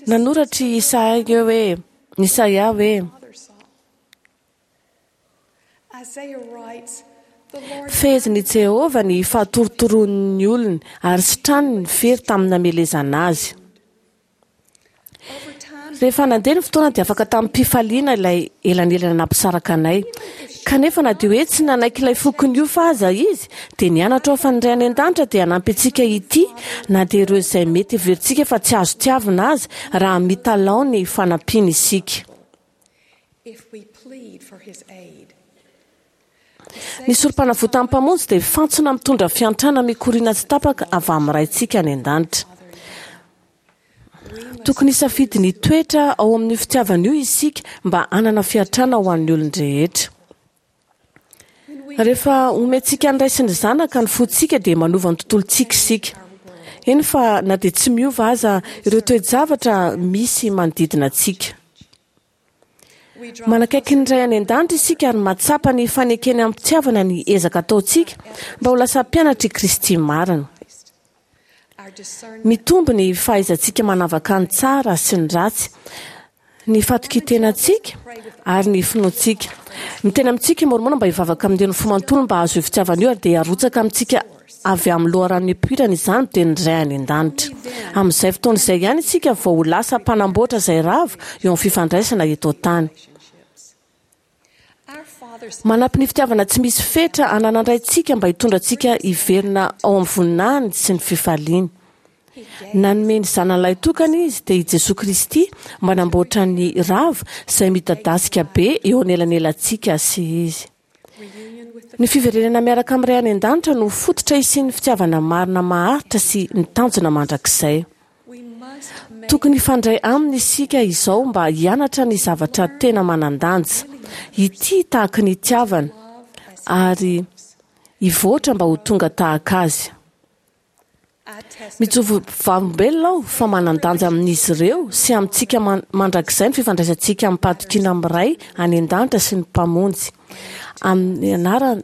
[SPEAKER 3] Nanoratra i Isaia hoe, Isaia hoe, Fehezin'i Jehovah ny fahatorotoron'ny olony, ary sitraniny ny fery tamin'ny namelezana azy. Rehefa nandeha ny fotoana dia afaka tamim-pifaliana ilay elanelana nampisaraka anay. Kanefa na dia hoe tsy nanaiky ilay foko niofo aza izy, dia nianatra aho fa ny Ray any An-danitra dia hanampy antsika hitia na dia ireo izay mety heverintsika fa tsy azo tiavina aza, raha mitalaho ny fanampiany isika. Ny Sorompanavotan'ny Mpamonjy dia fantsona mitondra fiantrana mikoriana tsy tapaka avy amin'ny Raintsika any An-danitra. Tokony hisafidy ny toetra ao amin'ny fitiavana io isika mba hanana fiantrana ho an'ny olon-drehetra. Rehefa omentsika ny ray sy ny zanaka ny fontsika dia manova ny tontolontsika isika. Eny fa na dia tsy miova aza ireo toe-javatra misy manodidina antsika. Manakaiky ny Ray any an-danitra isika ary mahatsapa ny fanekeny am-pitiavana ny ezaka ataontsika mba ho lasa mpianatr'i Kristy marina. Mitombo ny fahaizantsika manavaka ny tsara sy ny ratsy, ny fatokian-tenantsika ary ny finoantsika. Miteny amintsika i Môrmôna mba hivavaka amin'ny teny fo manontolo mba hahazo io fitiavana io ary dia harotsaka amintsika avy amin'ny loharano nipoirana izany dia ny Ray any an-danitra. Amin'izay fotoana izay ihany isika vao ho lasa mpanamboatra izay rava eo amin'ny fifandraisana eto an-tany. Manampy ny fitiavana tsy misy fetra ananandraintsika mba hitondra antsika hiverina ao amin'ny voninahiny sy ny fifaliany. Nanome ny zanany lahitokana izy dia i Jesoa Kristy mba hanamboatra ny rava izay midadasika be eo anelanelantsika sy izy. Ny fiverenana miaraka amin'ny Ray any an-danitra no fototra hisian'ny fitiavana marina maharitra sy ny tanjona mandrakizay. Tokony hifandray aminy isika izao mba hianatra ny zavatra tena manan-danja, hitia tahaka ny itiavana ary hivoatra mba ho tonga tahaka azy. Mijoro vavolombelona aho fa manan-danja amin'izy ireo sy amintsika mandrakizay ny fifandraisantsika amim-pahatokiana amin'ny Ray any an-danitra sy ny Mpamonjy. Amin'ny anaran'i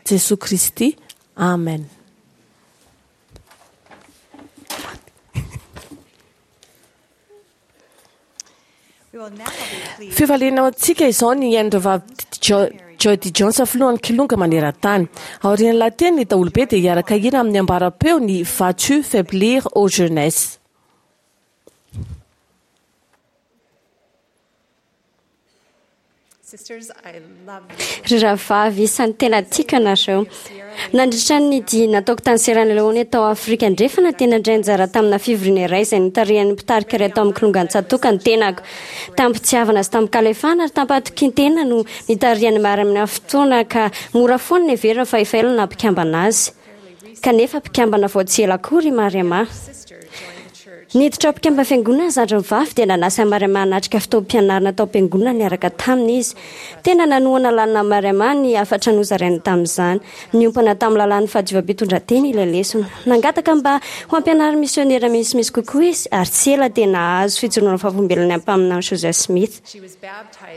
[SPEAKER 3] Jesoa Kristy, amen. Fifaliana ho antsika izao ny hihaino Rahavavy Jody Jones filohan'ny Kilonga maneran-tany. Aorian'ny lahateny, ny daholobe dia hiaraka hira amin'ny ambaram-peo ny Vas-tu faiblir, ô jeunesse?
[SPEAKER 6] Ry rahavavy isan'ny tena tiako ianareo. Nandritra ny dia nataoko tany Sierra Leone tao Afrika Andrefana dia nandray anjara tamina fivoriana iray izay notarihan'ny mpitarika iray tao amin'ny Kilongan-tsatoka ny tenako. Tamim-pitiavana sy tamim-kalefahana ary tamim-pahatokian-tena no nitarihan'ny miaramila fotoana ka mora foana ny heverina fa efa ela no naha-mpikambana azy. Kanefa mpikambana vao tsy ela akory i Mariama. Niditra ho mpikambana fiangonana ny zandriny vavy dia nanasa an'i Mariama hanatrika fotoam-pianarana tao am-piangonana niaraka taminy izy. Tena nanohana lalina an'i Mariama ny hafatra nozarainy tamin'izany. Niompana tamin'ny lalàn'ny fahadiovam-pitondran-tena ilay lesona. Nangataka mba ho ampianarin'ny misionera misimisy kokoa izy ary tsy ela dia nahazo fijoroana vavolombelona ny mpaminany Joseph Smith.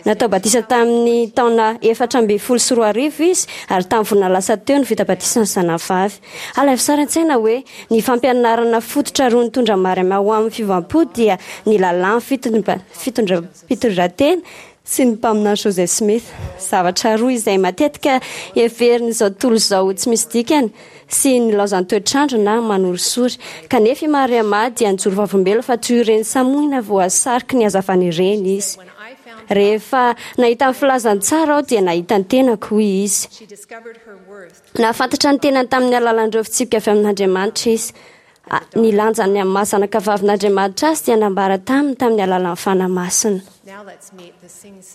[SPEAKER 6] Natao batisa tamin'ny taona efatra ambin'ny folo sy roa arivo izy ary tamin'ny volana lasa teo no vita batisa ny zanany vavy. Alaivo sary an-tsaina hoe ny fampianarana fototra roa nitondra Mariama ho amin'ny fiovam-po dia ny lalàn'ny fitondran-tena sy ny mpaminany Joseph Smith. Zavatra roa izay matetika heverin'izao tontolo izao ho tsy misy dikany sy nilaozan'ny toetr'andro na manorisory. Kanefa i Mariama dia nijoro vavolombelona fa toy ireny samoina voasariky ny hazavana ireny izy. Rehefa nahita ny filazantsara aho dia nahita ny tenako, hoy izy. Nahafantatra ny tenany tamin'ny alalan'ireo fitsipika avy amin'Andriamanitra izy. Ny lanjany amin'ny maha zanakavavin'Andriamanitra azy dia nambara taminy tamin'ny alalan'ny Fanahy Masina.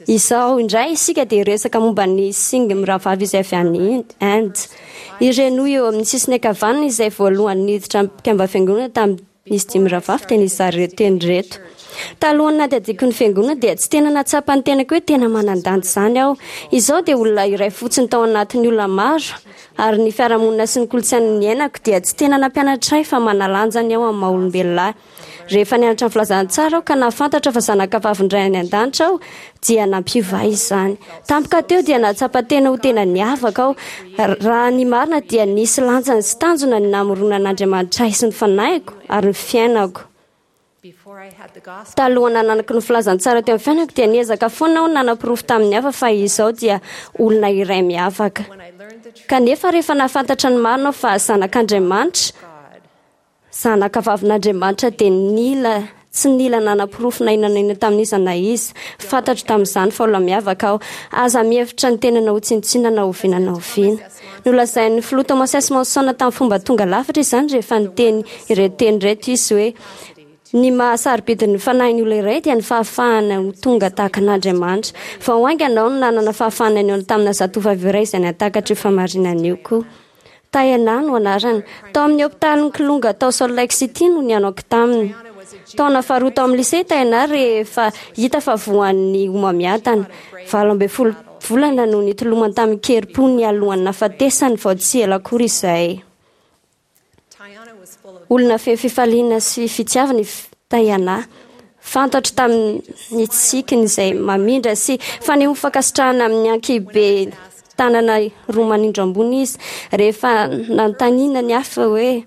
[SPEAKER 6] Izao indray isika dia hiresaka momba ny Singh mirahavavy izay avy any Inde. Ireny hoy eo amin'ny sisiny ankavanana izay voalohany niditra mpikambana fiangonana tamin'izy dimy mirahavavy dia nizara ireto teny ireto. Talohan'ny nandiadiako ny fiangonana dia tsy tena nahatsapa ny tenako hoe tena manan-danja izany aho. Izaho dia olona iray fotsiny tao anatin'ny olona maro ary ny fiarahamonina sy ny kolontsaina niainako dia tsy tena nampianatra ahy fa manalanja ny aho amin'ny maha olombelona ahy. Rehefa nianatra ny filazantsara aho ka nahafantatra fa zanakavavin'ny Ray any an-danitra aho dia nampiova ahy izany. Tampoka teo dia nahatsapa tena ho tena niavaka aho. Raha ny marina dia nisy lanjany sy tanjona ny namoronan'Andriamanitra ahy sy ny fanahiko ary ny fiainako. Talohan'ny nananako ny filazantsara teo amin'ny fiainako dia niezaka foana aho nanaporofo tamin'ny hafa fa izaho dia olona iray miavaka. Kanefa rehefa nahafantatra ny marina aho fa zanak'Andriamanitra, zanakavavin'Andriamanitra dia nila tsy nila nanaporofo na inona na inona tamin'iza na iza. Fantatro tamin'izany fa olona miavaka aho. Aza mihevitra ny tenanao ho tsinontsinona na oviana na oviana. Nolazain'ny filoha Thomas S. Monson tamin'ny fomba tonga lafatra izany rehefa niteny ireto teny ireto izy hoe, Ny maha sarobidy ny fanahin'ny olona iray dia ny fahafahana ho tonga tahaka an'Andriamanitra. Vao haingana aho no nanana fahafahana nihaona tamina zatovavy iray izay nahatakatra io fahamarinana io koa. Tayana no anarany. Tao amin'ny hopitalin'ny Kilonga tao Salt Lake City no nihaonako taminy. Taona faharoa tao amin'ny lycée Taina rehefa hita fa voan'ny homamiadana. Valo ambin'ny folo volana no nitolomany tamin'ny kerim-po ny alohan'ny nahafatesany vao tsy ela akory izay. Olona feno fifaliana sy fitiavana i Tayana. Fantatro tamin'ny tsikiny izay mamindra sy fanehoany fankasitrahana amin'ny ankihibe tanana roa manindro ambony izy. Rehefa nanontaniana ny hafa hoe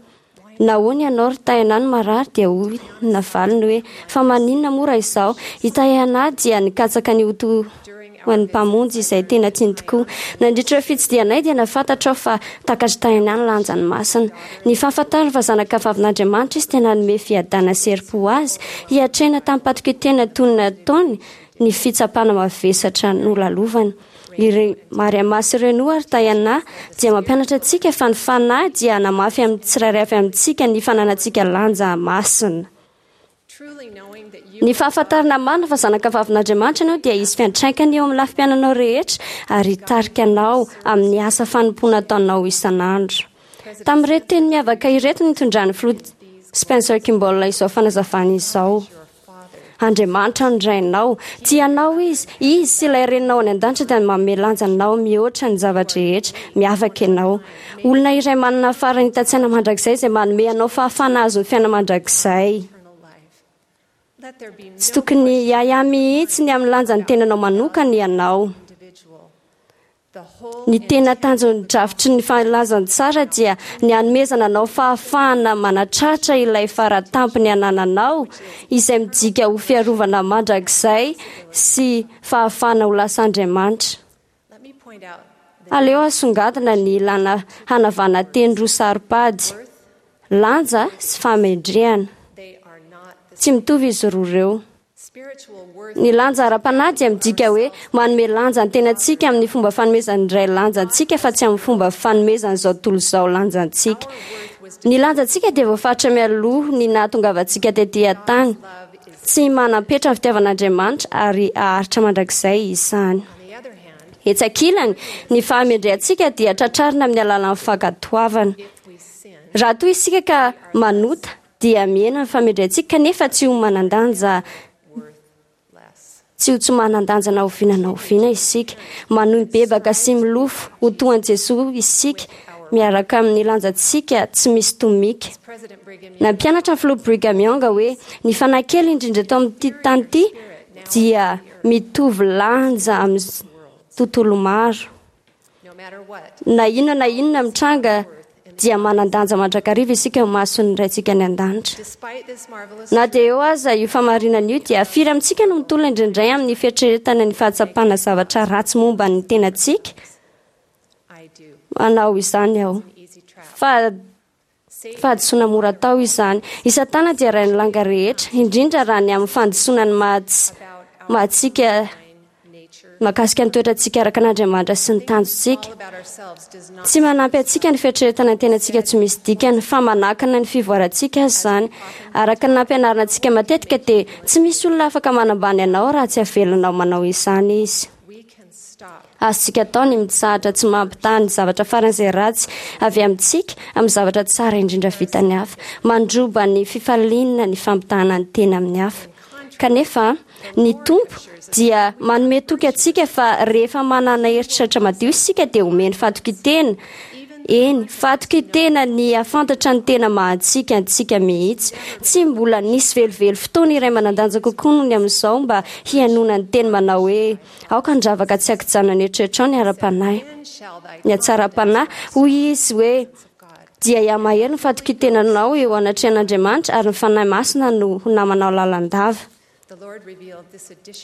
[SPEAKER 6] nahoana ianao ry Tayana no marary, dia hoy navaliny hoe fa maninona moa raha izao. I Tayana dia nikatsaka ny ho toa an'ny mpamonjy izay tena tiany tokoa. Nandritra ireo fitsidihanay dia nahafantatra aho fa takatry Tayana ny lanjany masina. Ny fahafantarany fa zanaka vavin'Andriamanitra izy dia nanome fiadana sy herim-po azy hiatrehana tamim-patokian-tena toy ny nataony ny fitsapana mavesatra nolalovany. Ireo Mariama sy Renoa ary Tayana dia mampianatra antsika fa ny fanahy dia hanamafy amin'ny tsirairay avy amintsika ny fananantsika lanja masina. Ny fahafantarana marina fa zanaka vavin'Andriamanitra ianao dia hisy fiantraikany eo amin'ny lafim-piainanao rehetra ary hitarika anao amin'ny asa fanompoana ataonao isan'andro. Tamin'ireto teny miavaka ireto no nitondran'ny filoha Spencer Kimball izao fanazavana izao. Andriamanitra no rainao, tia anao izy, izy sy ilay reninao any an-danitra dia manome lanja anao mihoatra ny zava-drehetra, miavaka ianao. Olona iray manana faharanitan-tsaina mandrakizay izay manome anao fahafahana hahazo ny fiainana mandrakizay. Tsy tokony hiahiahy mihitsy ny amin'ny lanjan'ny tenanao manokana ianao. Ny tena tanjon'ny drafitry ny filazantsara dia ny hanomezana anao fahafahana manatratra ilay faratampony anananao, izay midika ho fiarovana mandrakizay sy fahafahana ho lasa Andriamanitra. Aleo asongadina ny ilana hanavana teny roa saro-pady, lanja sy fahamendrehana. Tsy mitovy izy roa ireo. Ny lanja ara-panahy dia midika hoe manome lanja ny tenantsika amin'ny fomba fanomezan'ny Ray lanja antsika fa tsy amin'ny fomba fanomezan'izao tontolo izao lanja antsika. Ny lanjantsika dia voafaritra mialoha ny nahatongavantsika tetỳ an-tany. Tsy manam-petra ny fitiavan'Andriamanitra ary haharitra mandrakizay izany. Etsy ankilany, ny fahamendrehantsika dia tratrarina amin'ny alalan'ny fankatoavana. Raha toa isika ka manota, dia mihena ny fahamendrehantsika kanefa tsy ho manan-danja, tsy ho tsy manan-danja na oviana na oviana isika. Manohy mibebaka sy milofo ho toa an'i Jesoa isika, miaraka amin'ny lanjantsika tsy misy tomika. Nampianatra ny filoha Brigham Young hoe ny fanahy kely indrindra eto amin'ity tany ity dia mitovy lanja amin'ny tontolo maro. Na inona na inona mitranga dia manan-danja mandrakariva isika eo imason'ny Raintsika any an-danitra. Na dia eo aza io famarinana io dia firy amintsika no mitolona indraindray amin'ny fieritreretana ny fahatsapana zavatra ratsy momba ny tenantsika? Manao izany aho. Fa fahadisoana mora atao izany. I Satana dia rain'ny langa rehetra, indrindra raha ny amin'ny fandisoana ny maha-tsy maha-tsika mahakasika ny toetrantsika araka an'Andriamanitra sy ny tanjontsika. Tsy manampy antsika ny fieritreretana ny tenantsika tsy misy dikany, fa manakana ny fivoarantsika aza izany. Araka ny nampianarina antsika matetika dia tsy misy olona afaka manambany anao raha tsy avelanao manao izany izy. Azontsika atao ny mitsahatra tsy mampitaha ny zavatra faran'izay ratsy avy amintsika amin'ny zavatra tsara indrindra vitan'ny hafa. Mandroba ny fifaliana ny fampitahana ny tena amin'ny hafa. Kanefa ny Tompo dia manome toky antsika fa rehefa manana eritreritra madio isika dia omeny fahatokian-tena. Eny, fahatokian-tena ny hahafantatra ny tena maha-antsika antsika mihitsy. Tsy mbola nisy velively fotoana iray manan-danja kokoa noho ny amin'izao mba hihainoana ny teny manao hoe aoka handravaka tsy ankijanona ny eritreritrao ny ara-panahy. Ny hatsaram-panahy, hoy izy hoe, dia hihamahery ny fahatokian-tenanao eo anatrehan'Andriamanitra ary ny Fanahy Masina no ho namanao lalandava.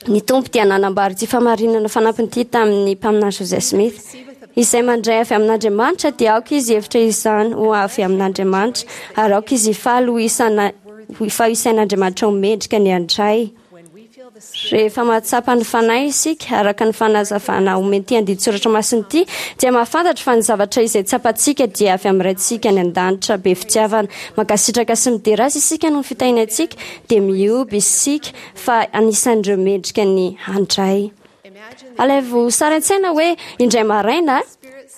[SPEAKER 6] Ny Tompo dia nanambara ity famarinana fanampiny ity tamin'ny mpaminany Joseph Smith. Izay mandray avy amin'Andriamanitra dia aoka izy hevitra izany ho avy amin'Andriamanitra ary aoka izy hifaly ho isana, ho fa isain'Andriamanitra ho mendrika ny handray. Rehefa mahatsapa ny Fanahy isika, araka ny fanazavana omen'ity andinin-tsoratra masina ity, dia mahafantatra fa ny zavatra izay tsapantsika dia avy amin'ny Raintsika any an-danitra be fitiavana. Mankasitraka sy midera Azy isika noho ny fitahiany antsika, dia mihoby isika fa anisan'ireo mendrika ny handray. Alaivo sary an-tsaina hoe indray maraina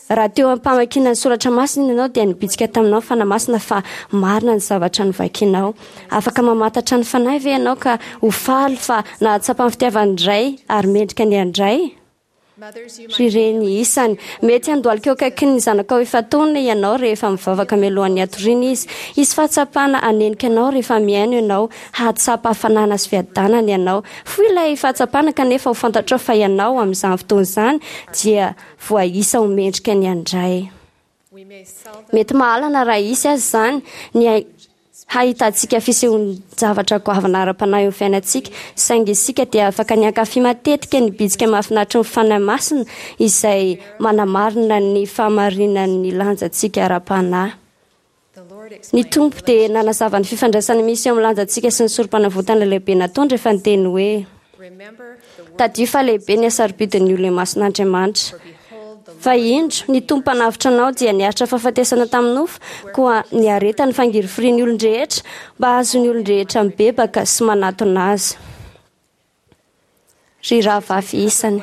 [SPEAKER 6] Raha teo am-pamakiana ny soratra masina ianao dia nibitsika taminao ny Fanahy Masina fa marina ny zavatra novakinao. Afaka mamantatra ny Fanahy ve ianao ka ho faly fa nahatsapa ny fitiavan'ny Ray ary mendrika ny handray? Ry reny isany, mety handohalika eo akaikin'ny zanakao efa-taona ianao rehefa mivavaka mialohan'ny hatoriana izy. Hisy fahatsapana hanenika anao rehefa mihaino ianao, hahatsapa hafanana sy fiadanana ianao. Fohy ilay fahatsapana kanefa ho fantatrao fa ianao amin'izany fotoana izany dia voaisa ho mendrika ny handray. Mety mahalana raha hisy aza izany ny hahitantsika fisehoan-javatra goavana ara-panahy eo amin'ny fiainantsika, saingy isika dia afaka ny hankafy matetika ny bitsika mahafinaritra ny Fanahy Masina izay manamarina ny fahamarinan'ny lanjantsika ara-panahy. Ny Tompo dia nanazava ny fifandraisana misy eo amin'ny lanjantsika sy ny sorom-panavotana lehibe nataony rehefa niteny hoe: Tadidio fa lehibe ny hasarobidin'ny olona imason'Andriamanitra. Fa indro, ny Tompo mpanavotra anao dia niaritra fahafatesana tamin'ny nofo, koa niaretany fangirifirian'ny olon-drehetra mba hahazoan'ny olon-drehetra mibebaka sy manatona azy. Ry rahavavy isany,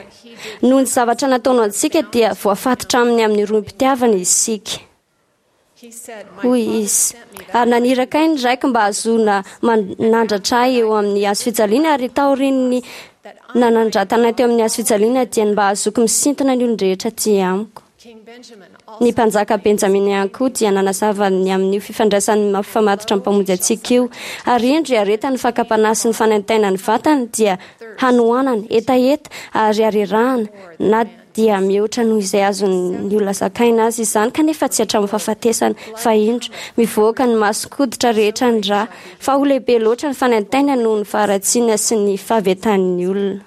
[SPEAKER 6] noho ny zavatra nataony ho antsika dia voafatotra aminy amin'ny rohim-pitiavana isika. Hoy izy, ary naniraka ahy ny raiko mba hahazoana manandratra ahy eo amin'ny hazo fijaliana, ary taorian'ny nanandratana ahy teo amin'ny hazo fijaliana dia ny mba hahazoako misintona ny olon-drehetra aty amiko. Ny mpanjaka Benjamina ihany koa dia nanazava ny amin'io fifandraisan'ny mampifamatotra ny Mpamonjy antsika io. Ary indro, iaretan'ny fakam-panahy sy ny fanaintainan'ny vatany dia hanoanana, hetaheta ary harerahana, na dia mihoatra noho izay azon'ny olona zakaina aza izany, kanefa tsy hatramin'ny fahafatesana, fa indro, mivoaka ny mason-koditra rehetra ny ra, fa ho lehibe loatra ny fanaintainana noho ny faharatsiana sy ny fahavetan'ny olona.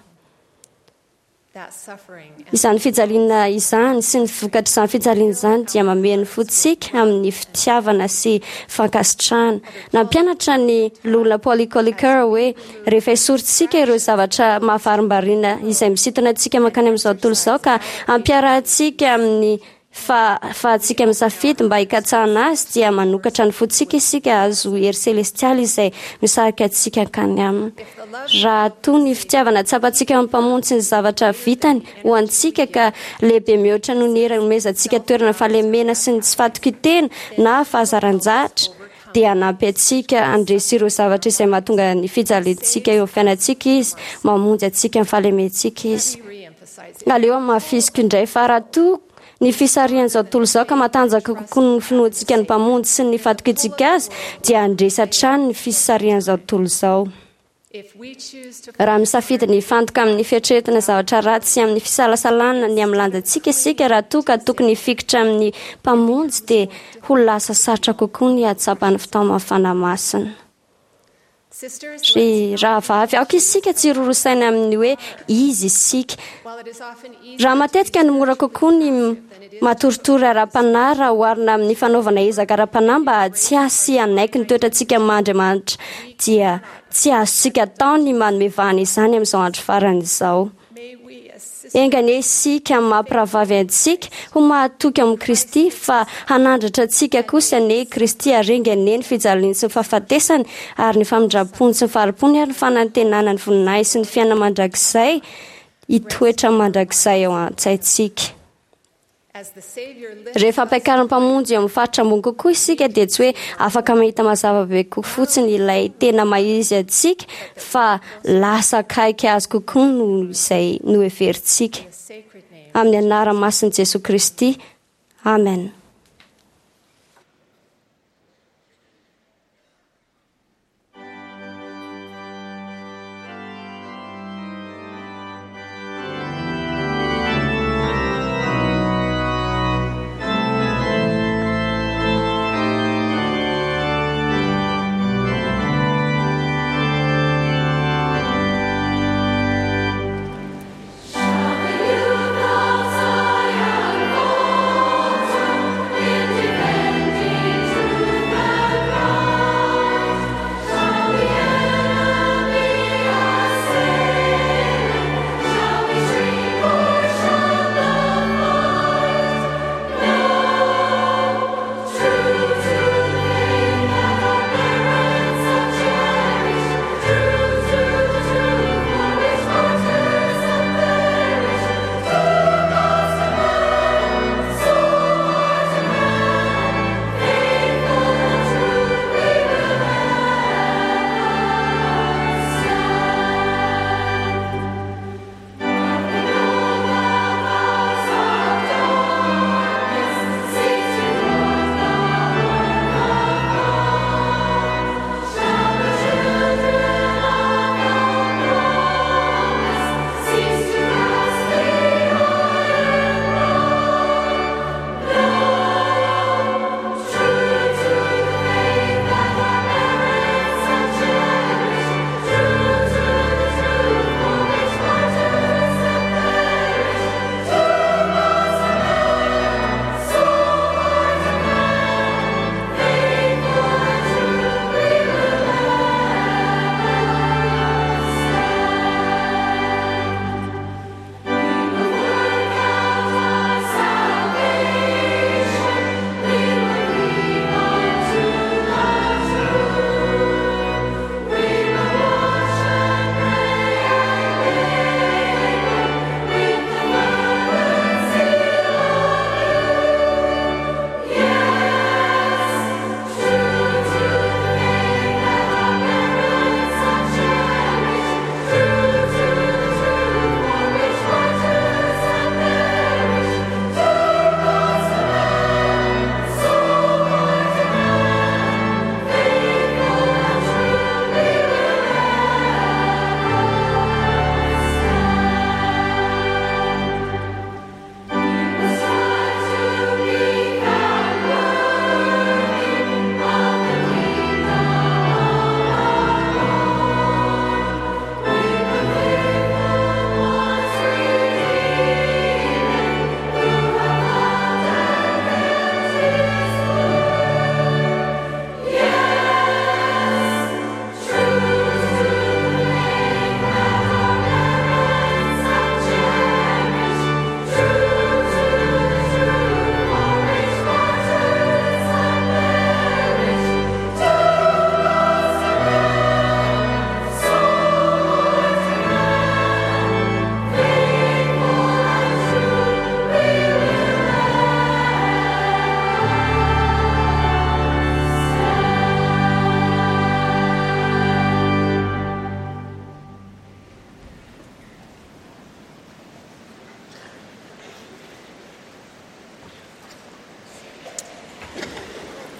[SPEAKER 6] Izany fijaliana izany sy ny vokatr'izany fijaliana izany dia mamehy ny fontsika amin'ny fitiavana sy fankasitrahana. Nampianatra ny Loholona Paul E. Kölliker hoe, Rehefa esorintsika ireo zavatra mahavarimbariana izay misintona antsika mankany amin'izao tontolo izao ka ampiarahantsika amin'ny fahafahantsika misafidy mba hikatsahana azy, dia manokatra ny fontsika isika hahazo hery selestialy izay misarika antsika hankany aminy. Raha toa ny fitiavana tsapantsika amin'ny Mpamonjy sy ny zavatra vitany ho antsika ka lehibe mihoatra noho ny hery anomezantsika toerana fahalemena sy ny tsy fahatokian-tena na fahazaran-jatra, dia hanampy antsika handresy ireo zavatra izay mahatonga ny fijaliantsika eo amin'ny fiainantsika Izy, mamonjy antsika amin'ny fahalementsika Izy. Aleo hamafisiko indray fa raha toa ny fisarihan'izao tontolo izao ka matanjaka kokoa ny finoantsika ny Mpamonjy sy ny fatokiantsika Azy, dia handresy hatrany ny fisarihan'izao tontolo izao. Raha misafidy ny hifantoka amin'ny fieritreretana zavatra ratsy sy amin'ny fisalasalana ny amin'ny lanjantsika isika, raha toa ka tokony hifikitra amin'ny Mpamonjy, dia ho lasa sarotra kokoa ny hahatsapa ny fitaoman'ny Fanahy Masina. Ry rahavavy, aoka isika tsy hiroro saina amin'ny hoe izy isika. Raha matetika no mora kokoa ny matoritory ara-panahy raha oharina amin'ny fanaovana ezaka ara-panahy mba hahatsiahy sy hanaiky ny toetrantsika maha Andriamanitra, dia tsy azontsika atao ny manome vahana izany amin'izao andro farany izao. Enga anie isika amin'ny maha mpirahavavy antsika ho mahatoky ao amin'i Kristy, fa hanandratra antsika kosa anie i Kristy, ary enga anie ny fijaliany sy ny fahafatesany, ary ny famindram-pony sy ny fahari-pony ary ny fanantenana ny voninahiny sy ny fiainana mandrakizay hitoetra mandrakizay ao an-tsaintsika. Rehefa ampiakarin'ny Mpamonjy eo amin'ny faritra ambony kokoa isika dia tsy hoe afaka mahita mazava be kokoa fotsiny ilay tena maha-izy antsika fa lasa akaiky azy kokoa noho izay noheverintsika. Amin'ny anarana masin'i Jesoa Kristy, amen.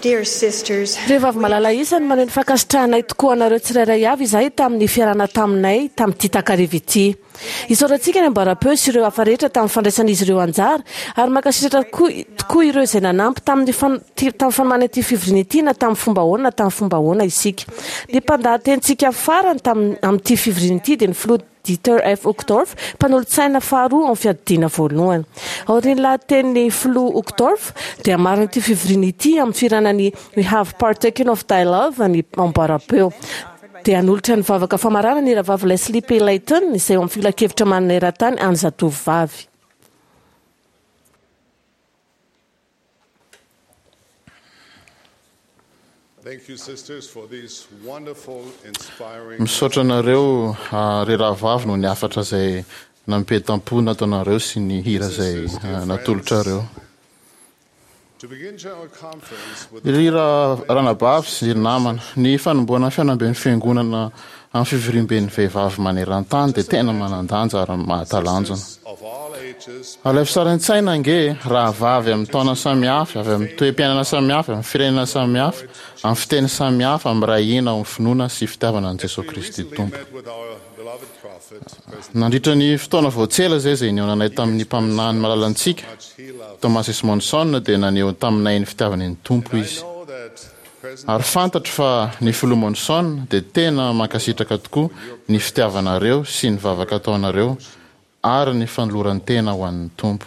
[SPEAKER 7] Dear sisters,
[SPEAKER 3] Vehivavy malala isany, maneho ny fankasitrahanay tokoa anareo tsirairay avy izahay tamin'ny fiarahana taminay tamin'ity takariva ity. Isaorantsika ny amboaram-peo sy ireo hafa rehetra tamin'ny fandraisan'izy ireo anjara ary mankasitraka koa tokoa ireo izay nanampy tamin'ny fan- ty- tamin'ny fanomanana ity fivoriana ity na tamin'ny fomba ahoana na tamin'ny fomba ahoana isika. Ny mpandahatenintsika farany tamin'ny amin'ity fivoriana ity dia ny filoha Dieter F. Uchtdorf, mpanolotsaina faharoa amin'ny fiadidiana voalohany. Aorian'ny lahatenin'ny filoha Uchtdorf dia hamarana ity fivoriana ity amin'ny fihirana ny We Have Partaken of Thy Love ny amboaram-peo. Dia hanolotra ny vavaka famaranana ny rahavavy Leslie P. Layton izay eo amin'ny filankevitra maneran-tany an'ny zatovovavy.
[SPEAKER 9] Thank you, sisters, for these wonderful, inspiring.
[SPEAKER 10] Misaotra anareo ah, ry rahavavy noho ny hafatra izay nampientam-po nataonareo sy ny hira izay ah, natolotrareo.
[SPEAKER 9] To begin general conference with
[SPEAKER 10] Ry ra- ranabavy sy ry namana, ny fanombohana fihaonamben'ny fiangonana amin'ny fivoriamben'ny vehivavy maneran-tany dia tena manan-danja ary mahatalanjona.
[SPEAKER 9] of all ages,
[SPEAKER 10] Alaivo sary an-tsaina ange rahavavy amin'ny taona samihafa, avy amin'ny toe-piainana samihafa, amin'ny firenena samihafa, amin'ny fiteny samihafa, amin'ny iray hina ao amin'ny finoana sy fitiavana an'i Jesosy Kristy Tompo.
[SPEAKER 9] met with our beloved prophet, President
[SPEAKER 10] Nandritra ny fotoana voatsela izay izay nihaonanay tamin'ny mpaminany malalantsika, Thomas S. Monson, dia naneho taminay ny fitiavany ny Tompo izy.
[SPEAKER 9] know that President
[SPEAKER 10] Ary fantatro fa ny filoha Monson dia tena mankasitraka tokoa ny fitiavanareo sy ny vavaka ataonareo ary ny fanoloran-tena ho an'ny Tompo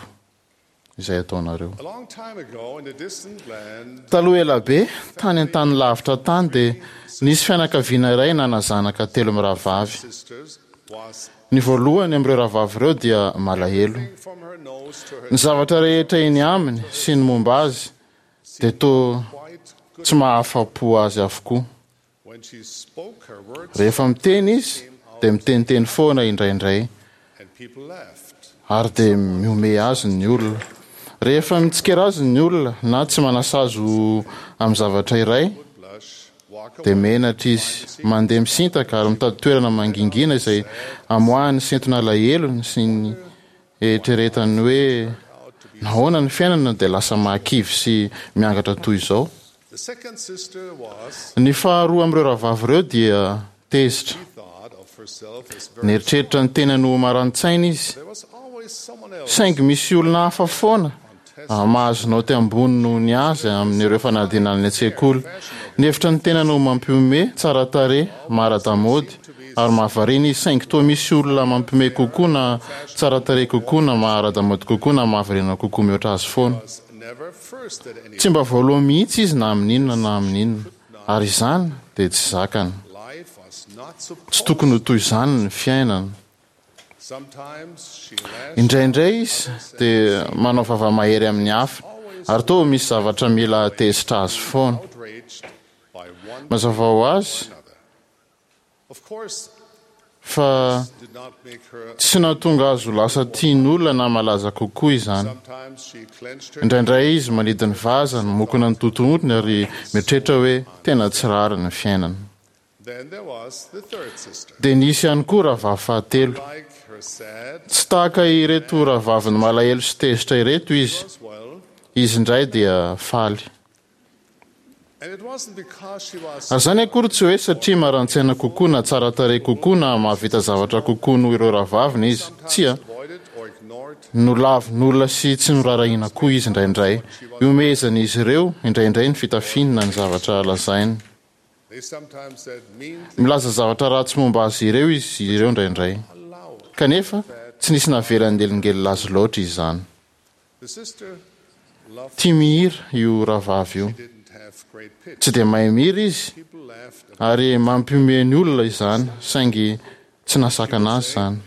[SPEAKER 10] izay ataonareo.
[SPEAKER 9] a long time ago in a distant land,
[SPEAKER 10] Taloha ela be, tany an-tany lavitra tany dia nisy fianakaviana iray nanazanaka telo mirahavavy.
[SPEAKER 9] sisters was
[SPEAKER 10] Ny voalohany amin'ireo rahavavy ireo dia malahelo.
[SPEAKER 9] from her nose to her
[SPEAKER 10] Ny zavatra rehetra eny aminy sy ny momba azy dia toa
[SPEAKER 9] quite good.
[SPEAKER 10] tsy mahafa-po azy avokoa.
[SPEAKER 9] When she spoke, her words
[SPEAKER 10] Rehefa miteny izy dia miteniteny foana indraindray
[SPEAKER 9] and people laughed.
[SPEAKER 10] ary dia mihomehy azy ny olona. Rehefa mitsikera azy ny olona na tsy manasazy ho amin'ny zavatra iray
[SPEAKER 9] Blush, walk
[SPEAKER 10] dia
[SPEAKER 9] away.
[SPEAKER 10] menatra izy, mandeha misintaka ary mitady toerana mangingina izay amoahany sentona alahelony sy ny eritreretany hoe nahoana ny fiainana dia lasa mahakivy sy miangatra toy izao.
[SPEAKER 9] The second sister was
[SPEAKER 10] Ny faharoa amin'ireo rahavavy ireo dia tezitra.
[SPEAKER 9] thought of herself as very.
[SPEAKER 10] Nieritreritra ny tenany ho maran-tsaina izy.
[SPEAKER 9] There was always someone else
[SPEAKER 10] Saingy misy olona hafa foana ah, mahazo naoty ambony noho ny azy amin'ireo fanadinana any an-tsekoly. Nihevitra ny tenany ho mampihomehy, tsara tarehy, mahara-damaody ary mahavariana izy, saingy toa misy olona mampihomehy kokoa na tsara tarehy kokoa na mahara-damaody kokoa na mahavariana kokoa mihoatra azy foana.
[SPEAKER 9] was never first at any.
[SPEAKER 10] Tsy mba voalohany mihitsy izy na amin'inona na amin'inona, ary izany dia tsy zakany.
[SPEAKER 9] Life was not
[SPEAKER 10] Tsy
[SPEAKER 9] supposed.
[SPEAKER 10] tokony ho toy izany ny fiainana.
[SPEAKER 9] Sometimes she lashed
[SPEAKER 10] Indraindray izy dia manao vava-mahery amin'ny hafa ary toa misy zavatra mila tezitra azy foana.
[SPEAKER 9] outraged by one
[SPEAKER 10] Mazava ho azy
[SPEAKER 9] another. Of course,
[SPEAKER 10] fa
[SPEAKER 9] did not make her.
[SPEAKER 10] tsy nahatonga azy ho lasa tian'olona na malaza kokoa izany.
[SPEAKER 9] Sometimes she clenched her
[SPEAKER 10] Indraindray izy manidy ny vazany, mokona ny totohondriny ary mieritreritra hoe tena tsy rariny ny fiainana.
[SPEAKER 9] Then there was the third sister.
[SPEAKER 10] Dia nisy ihany koa rahavavy fahatelo.
[SPEAKER 9] Like her sad
[SPEAKER 10] Tsy tahaka ireto rahavaviny malahelo sy tezitra ireto izy.
[SPEAKER 9] as well.
[SPEAKER 10] Izy indray dia faly.
[SPEAKER 9] And it wasn't because she was
[SPEAKER 10] Ary izany akory tsy hoe satria maran-tsaina kokoa na tsara tarehy kokoa na mahavita zavatra kokoa noho ireo rahavaviny izy. Tsia,
[SPEAKER 9] avoided or ignored.
[SPEAKER 10] nolavin'olona sy tsy noraharahiana koa izy indraindray. Ihomehezan'izy ireo indraindray ny fitafiany na ny zavatra lazainy.
[SPEAKER 9] They sometimes said mean things
[SPEAKER 10] Milaza zavatra ratsy momba azy ireo izy ireo indraindray.
[SPEAKER 9] aloud.
[SPEAKER 10] Kanefa, tsy nisy navelan'ny elingelina azy loatra izany.
[SPEAKER 9] The sister loved
[SPEAKER 10] Tia mihira io rahavavy io.
[SPEAKER 9] didn't have great pitch.
[SPEAKER 10] Tsy dia mahay mihira izy
[SPEAKER 9] People laughed.
[SPEAKER 10] ary mampihomehy ny olona izany, saingy tsy nasakana azy izany.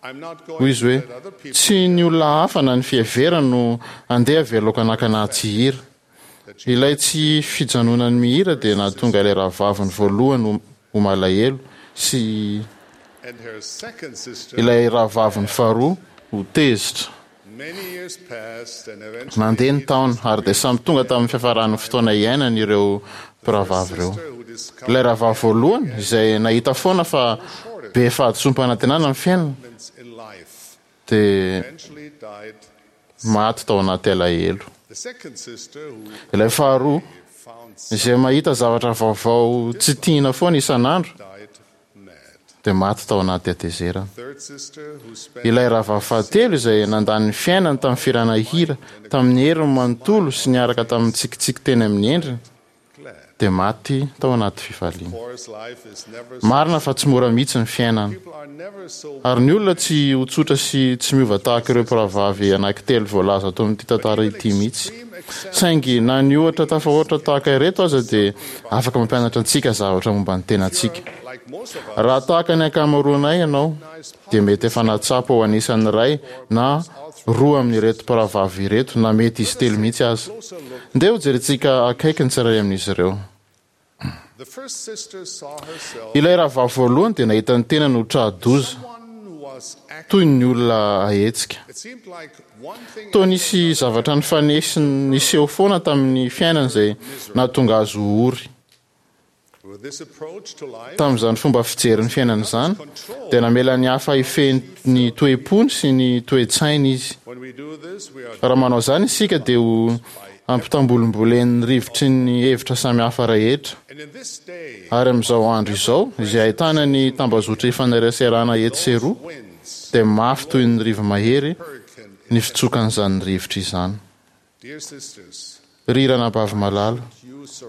[SPEAKER 9] I'm not going
[SPEAKER 10] Hoy izy
[SPEAKER 9] to
[SPEAKER 10] hoe
[SPEAKER 9] let other people
[SPEAKER 10] tsy ny olona hafa na ny fiheverana no andeha avelako hanakana ahy tsy hihira. Ilay tsy fijanonany mihira dia nahatonga ilay rahavaviny voalohany ho- ho malahelo sy
[SPEAKER 9] and her second sister.
[SPEAKER 10] ilay rahavaviny faharoa ho tezitra.
[SPEAKER 9] Many years passed and eventually
[SPEAKER 10] Nandeha ny taona ary dia samy tonga tamin'ny fiafaran'ny fotoana iainany ireo mpirahavavy ireo.
[SPEAKER 9] sister who discovered
[SPEAKER 10] Ilay rahavavy voalohany izay nahita foana fa be fahadisoam-panantenana ny fiainana
[SPEAKER 9] moments in life
[SPEAKER 10] dia
[SPEAKER 9] eventually died.
[SPEAKER 10] maty tao anaty alahelo.
[SPEAKER 9] The second sister who
[SPEAKER 10] Ilay faharoa izay mahita zavatra vaovao tsy tiana foana isan'andro, dia maty tao anaty hatezerana. Ilay rahavavy fahatelo izay nandany ny fiainany tamin'ny fihirana hira tamin'ny heriny manontolo sy niaraka tamin'ny tsikitsiky teny amin'ny endriny, dia maty tao anaty fifaliana. Marina fa tsy mora mihitsy ny fiainana. Ary ny olona tsy ho tsotra sy tsy miova tahaka ireo mpirahavavy anankitelo voalaza ato amin'ity tantara ity mihitsy. Saingy na ny ohatra tafahoatra tahaka ireto aza dia afaka mampianatra antsika zavatra momba ny tenantsika. Raha tahaka ny ankamaroanay ianao, dia mety efa nahatsapa ho anisan'ny iray na roa amin'ireto mpirahavavy ireto, na mety izy telo mihitsy aza. Ndeha hojerentsika akaiky ny tsirairay amin'izy ireo. Ilay rahavavy voalohany dia nahita ny tenany ho tra-doza, toy ny olona ahetsika. Toa nisy zavatra nifanesy niseho foana tamin'ny fiainany izay nahatonga azy ho ory. Tamin'izany fomba fijery ny fiainana izany, dia namela ny hafa hifehy ny toe-pony sy ny toe-tsainy izy. Raha manao izany isika dia ho ampitambolimbolen'ny rivotry ny hevitra samihafa rehetra. Ary amin'izao andro izao, izay ahitana ny tambazotra ifaneraserana etsy sy eroa, dia mafy toy ny rivo-mahery ny fitsokan'izany rivotra izany. Ry ranabavy malala,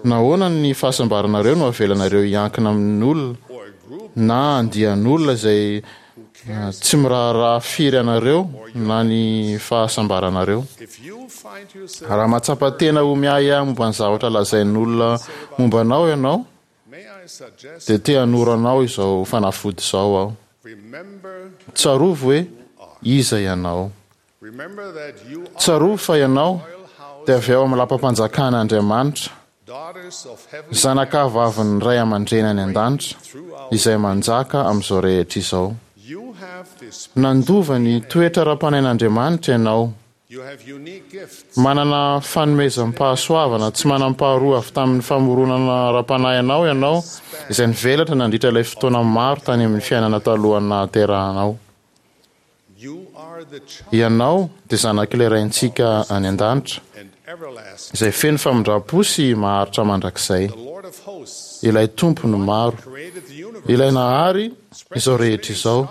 [SPEAKER 10] nahoana ny fahasambaranareo no avelanareo hiankina amin'olona na andian'olona izay tsy miraharaha firy anareo na ny fahasambaranareo? Raha mahatsapa tena ho miahiahy momba ny zavatra lazain'olona momba anao ianao, dia te hanoro anao izao fanafody izao aho. Tsarovy hoe iza ianao. Tsarovy fa ianao dia avy ao amin'ny lapam-panjakan'Andriamanitra, zanakavavin'ny ray aman-dreny any an-danitra, izay manjaka amin'izao rehetra izao. Nandova ny toetra ara-panahin'Andriamanitra ianao. Manana fanomezam-pahasoavana tsy manam-paharoa avy tamin'ny famoronana ara-panahy anao ianao, izay nivelatra nandritra ilay fotoana maro tany amin'ny fiainana talohan'ny nahaterahanao. Ianao dia zanak'ilay Raintsika any An-danitra, izay feno famindram-po sy maharitra mandrakizay, ilay Tompon'ny maro, ilay nahary izao rehetra izao,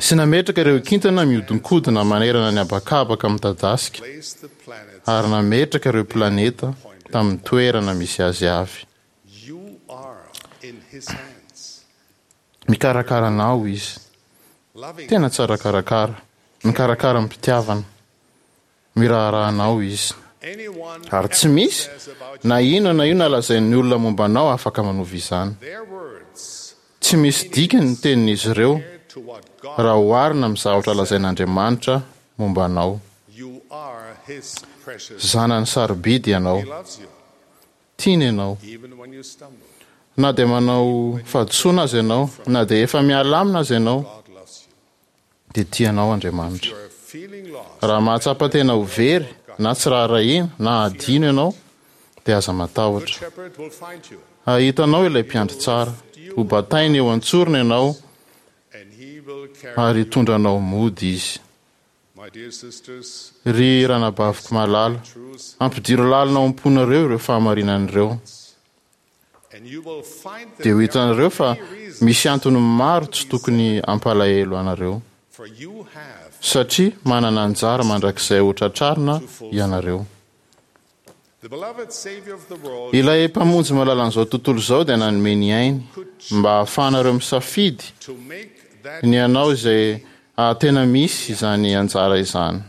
[SPEAKER 10] sy nametraka ireo kintana mihodinkodina manerana ny habakabaka midadasika, ary nametraka ireo planeta tamin'ny toerana misy azy avy. Mikarakara anao Izy. Tena tsara karakara. Mikarakara amim-pitiavana. Miraharaha anao Izy. Ary tsy misy na inona na inona lazain'ny olona momba anao afaka manova izany. Tsy misy dikany ny tenin'izy ireo raha oharina amin'ny zavatra lazain'Andriamanitra momba anao. Zanany sarobidy ianao. Tiany ianao. Na dia manao fahadisoana aza ianao, na dia efa miala aminy aza ianao, dia tia anao Andriamanitra. Raha mahatsapa tena ho very, na tsy raharahiana, na hadino ianao, dia aza matahotra. Hahita anao ilay Mpiandry Tsara. Hobatainy eo an-tsorony ianao, ary hitondra anao mody Izy. Ry ranabaviko malala, ampidiro lalina ao am-ponareo ireo fahamarinana ireo. Dia ho hitanareo fa misy antony maro tsy tokony hampalahelo anareo, satria manana anjara mandrakizay hotratrarina ianareo. Ilay Mpamonjy malalan'izao tontolo izao dia nanome ny ainy mba hahafahanareo misafidy ny hanao izay hahatena misy izany anjara izany.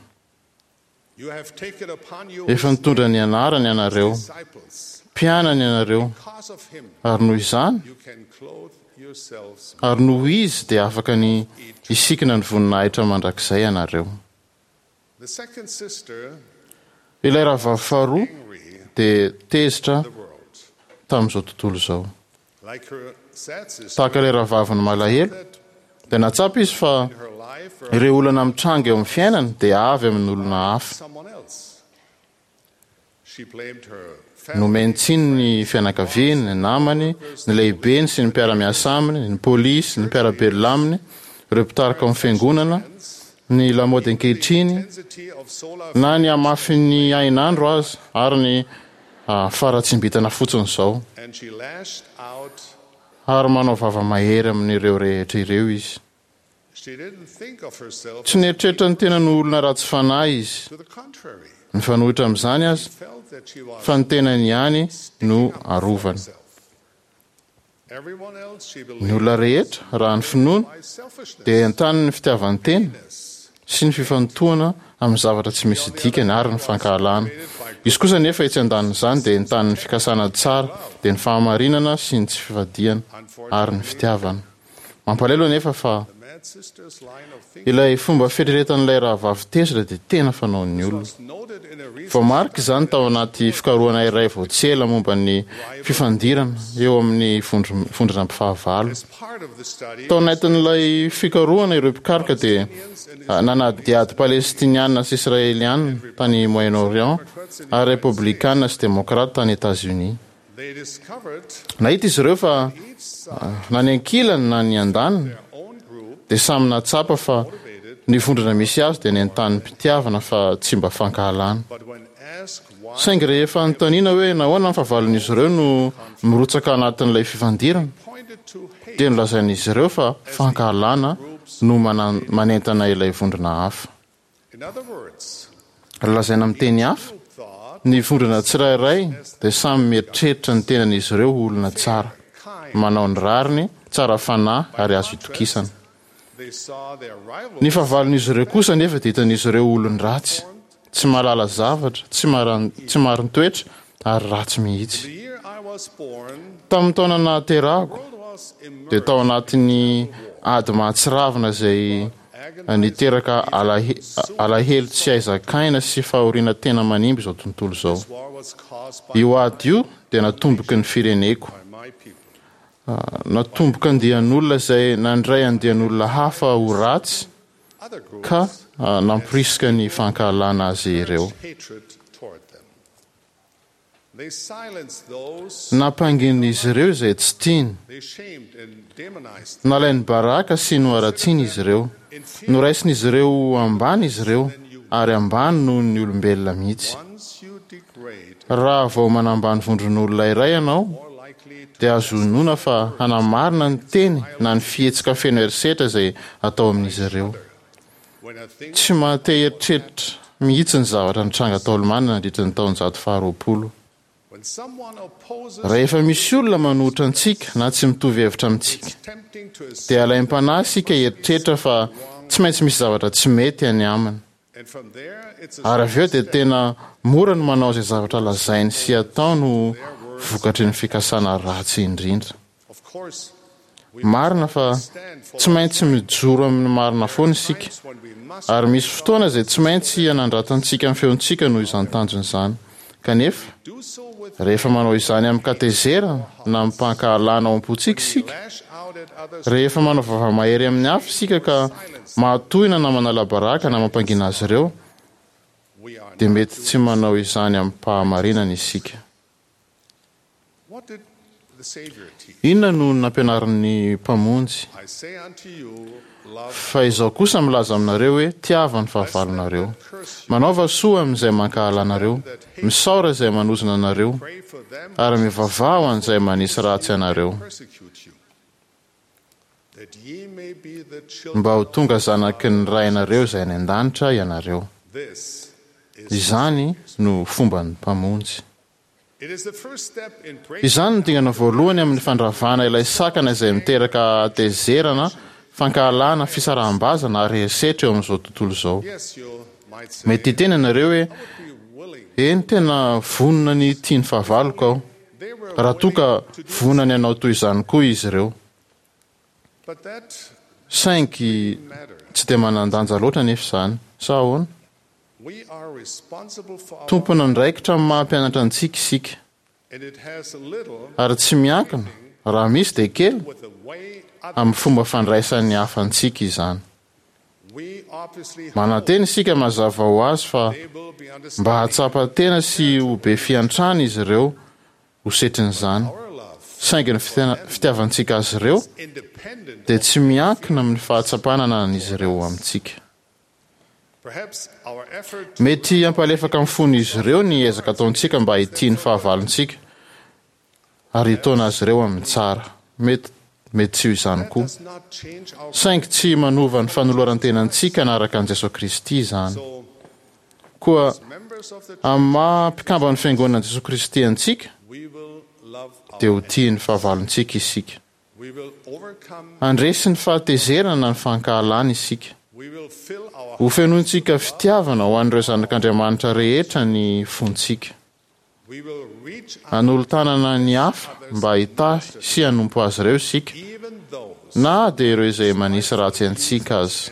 [SPEAKER 10] Efa nitondra ny anarany ianareo, mpianany ianareo, ary noho izany, ary noho Izy dia afaka ny hisikina ny voninahitra mandrakizay ianareo. Ilay rahavavy faharoa dia tezitra tamin'izao tontolo izao. Tahaka ilay rahavaviny malahelo, dia nahatsapa izy fa ireo olana mitranga eo amin'ny fiainany dia avy amin'olona hafa. Nomeny tsiny ny fianakaviany, ny namany, ny lehibeny sy ny mpiara-miasa aminy, ny polisy, ny mpiara-belona aminy, ireo mpitarika ao amin'ny fiangonana, ny lamaody ankehitriny, na ny hamafin'ny hainandro aza, ary ny faharatsiam-bintana fotsiny izao. Ary manao vava mahery amin'ireo rehetra ireo izy. Tsy nieritreritra ny tenany ho olona ratsy fanahy izy. Mifanohitra amin'izany aza, fa ny tenany ihany no arovany. Ny olona rehetra, raha ny finoany, dia entanin'ny fitiavan-tena sy ny fifantohana amin'ny zavatra tsy misy dikany ary ny fankahalana. Izy kosa anefa etsy andanin'izany dia entanin'ny fikasana tsara, dia ny fahamarinana sy ny tsy fivadihana ary ny fitiavana. Mampalahelo anefa fa ilay fomba fieritreretan'ilay rahavavy tezitra dia tena fanaon'ny olona. Voamarika izany tao anaty fikarohana iray vao tsy ela momba ny fifandirana eo amin'ny vondrona mpifahavalo. Tao anatin'ilay fikarohana ireo mpikaroka dia nanadihady Palestiniana sy Israeliana tany Moyen-Orient ary Repoblikana sy Demokrata tany Etazonia. Nahita izy ireo fa na ny ankilany na ny andaniny dia samy nahatsapa fa ny vondrona misy azy dia nentanim-pitiavana fa tsy mba fankahalana. Saingy rehefa anontaniana hoe nahoana ny fahavalon'izy ireo no mirotsaka anatin'ilay fifandirana, dia nolazain'izy ireo fa fankahalana no manentana ilay vondrona hafa. Raha lazaina amin'ny teny hafa, ny vondrona tsirairay dia samy mieritreritra ny tenan'izy ireo ho olona tsara, manao ny rariny, tsara fanahy ary azo itokisana. Ny fahavalon'izy ireo kosa anefa dia hitan'izy ireo ho olon-dratsy, tsy mahalala zavatra, tsy tsy marin-toetra ary ratsy mihitsy. Tamin'ny taona nahaterahako, dia tao anatin'ny ady mahatsiravina izay niteraka alahelo tsy hay zakaina sy fahoriana tena manimba izao tontolo izao. Io ady io dia natomboky ny fireneko. Natomboka andian'olona izay nandray andian'olona hafa ho ratsy ka namporisika ny fankahalana azy ireo. Nampangin'izy ireo izay tsy tiany. Nalainy baraka sy noharatsiany izy ireo. Noraisin'izy ireo ho ambany izy ireo, ary ambany noho ny olombelona mihitsy. Raha vao manambany vondron'olona iray ianao, dia azo inoana fa hanamarina ny teny na ny fihetsika feno herisetra izay atao amin'izy ireo. Tsy maha-te hieritreritra mihitsy ny zavatra nitranga tao Alemana nandritra ny taonjato faharoapolo. Rehefa misy olona manohitra antsika na tsy mitovy hevitra amintsika, dia alaim-panahy isika hieritreritra fa tsy maintsy misy zavatra tsy mety any aminy. Ary avy eo dia tena mora ny manao izay zavatra lazainy sy ataony ho vokatry ny fikasana ratsy indrindra. Marina fa tsy maintsy mijoro amin'ny marina foana isika, ary misy fotoana izay tsy maintsy hanandratantsika ny feontsika noho izany tanjona izany. Kanefa, rehefa manao izany amin-katezerana na amim-pankahalana ao am-pontsika isika, rehefa manao vava mahery amin'ny hafa isika ka mahatohina na manala baraka na mampangina azy ireo, dia mety tsy manao izany amim-pahamarinana isika. Inona no nampianarin'ny Mpamonjy? Fa izaho kosa milaza aminareo hoe, Tiava ny fahavalonareo. Manaova soa amin'izay mankahala anareo, misaora izay manozona anareo, ary mivavaha ho an'izay manisy ratsy anareo, mba ho tonga zanaky ny Rainareo izay any an-danitra ianareo. Izany no fomban'ny Mpamonjy. Izany no dingana voalohany amin'ny fandravana ilay sakana izay miteraka hatezerana, fankahalana, fisaraham-bazana ary herisetra eo amin'izao tontolo izao. Mety hiteny ianareo hoe, Eny, tena vonona ny hitia ny fahavaloko aho, raha toa ka vonona ny hanao toy izany koa izy ireo. Saingy tsy dia manan-danja loatra anefa izany, sa ahoana? Tompon'andraikitra amin'ny maha mpianatra antsika isika, ary tsy miankina, raha misy dia kely, amin'ny fomba fandraisan'ny hafa antsika izany. Manantena isika mazava ho azy fa mba hahatsapa tena sy ho be fiantrana izy ireo ho setrin'izany, saingy ny fitiavantsika azy ireo dia tsy miankina amin'ny fahatsapana ananan'izy ireo amintsika. Mety hampalefaka ny fon'izy ireo ny ezaka ataontsika mba hitia ny fahavalontsika ary hitaona azy ireo amin'ny tsara. Mety mety tsy ho izany koa. Saingy tsy manova ny fanoloran-tenantsika hanaraka an'i Jesoa Kristy izany. Koa amin'ny maha mpikamban'ny Fiangonan'i Jesoa Kristy antsika, dia ho tia ny fahavalontsika isika. Handresy ny fahatezerana na ny fankahalana isika. Hofenointsika fitiavana ho an'ireo zanak'Andriamanitra rehetra ny fontsika. Hanolo-tanana ny hafa mba hitahy sy hanompo azy ireo isika, na dia ireo izay manisy ratsy antsika aza.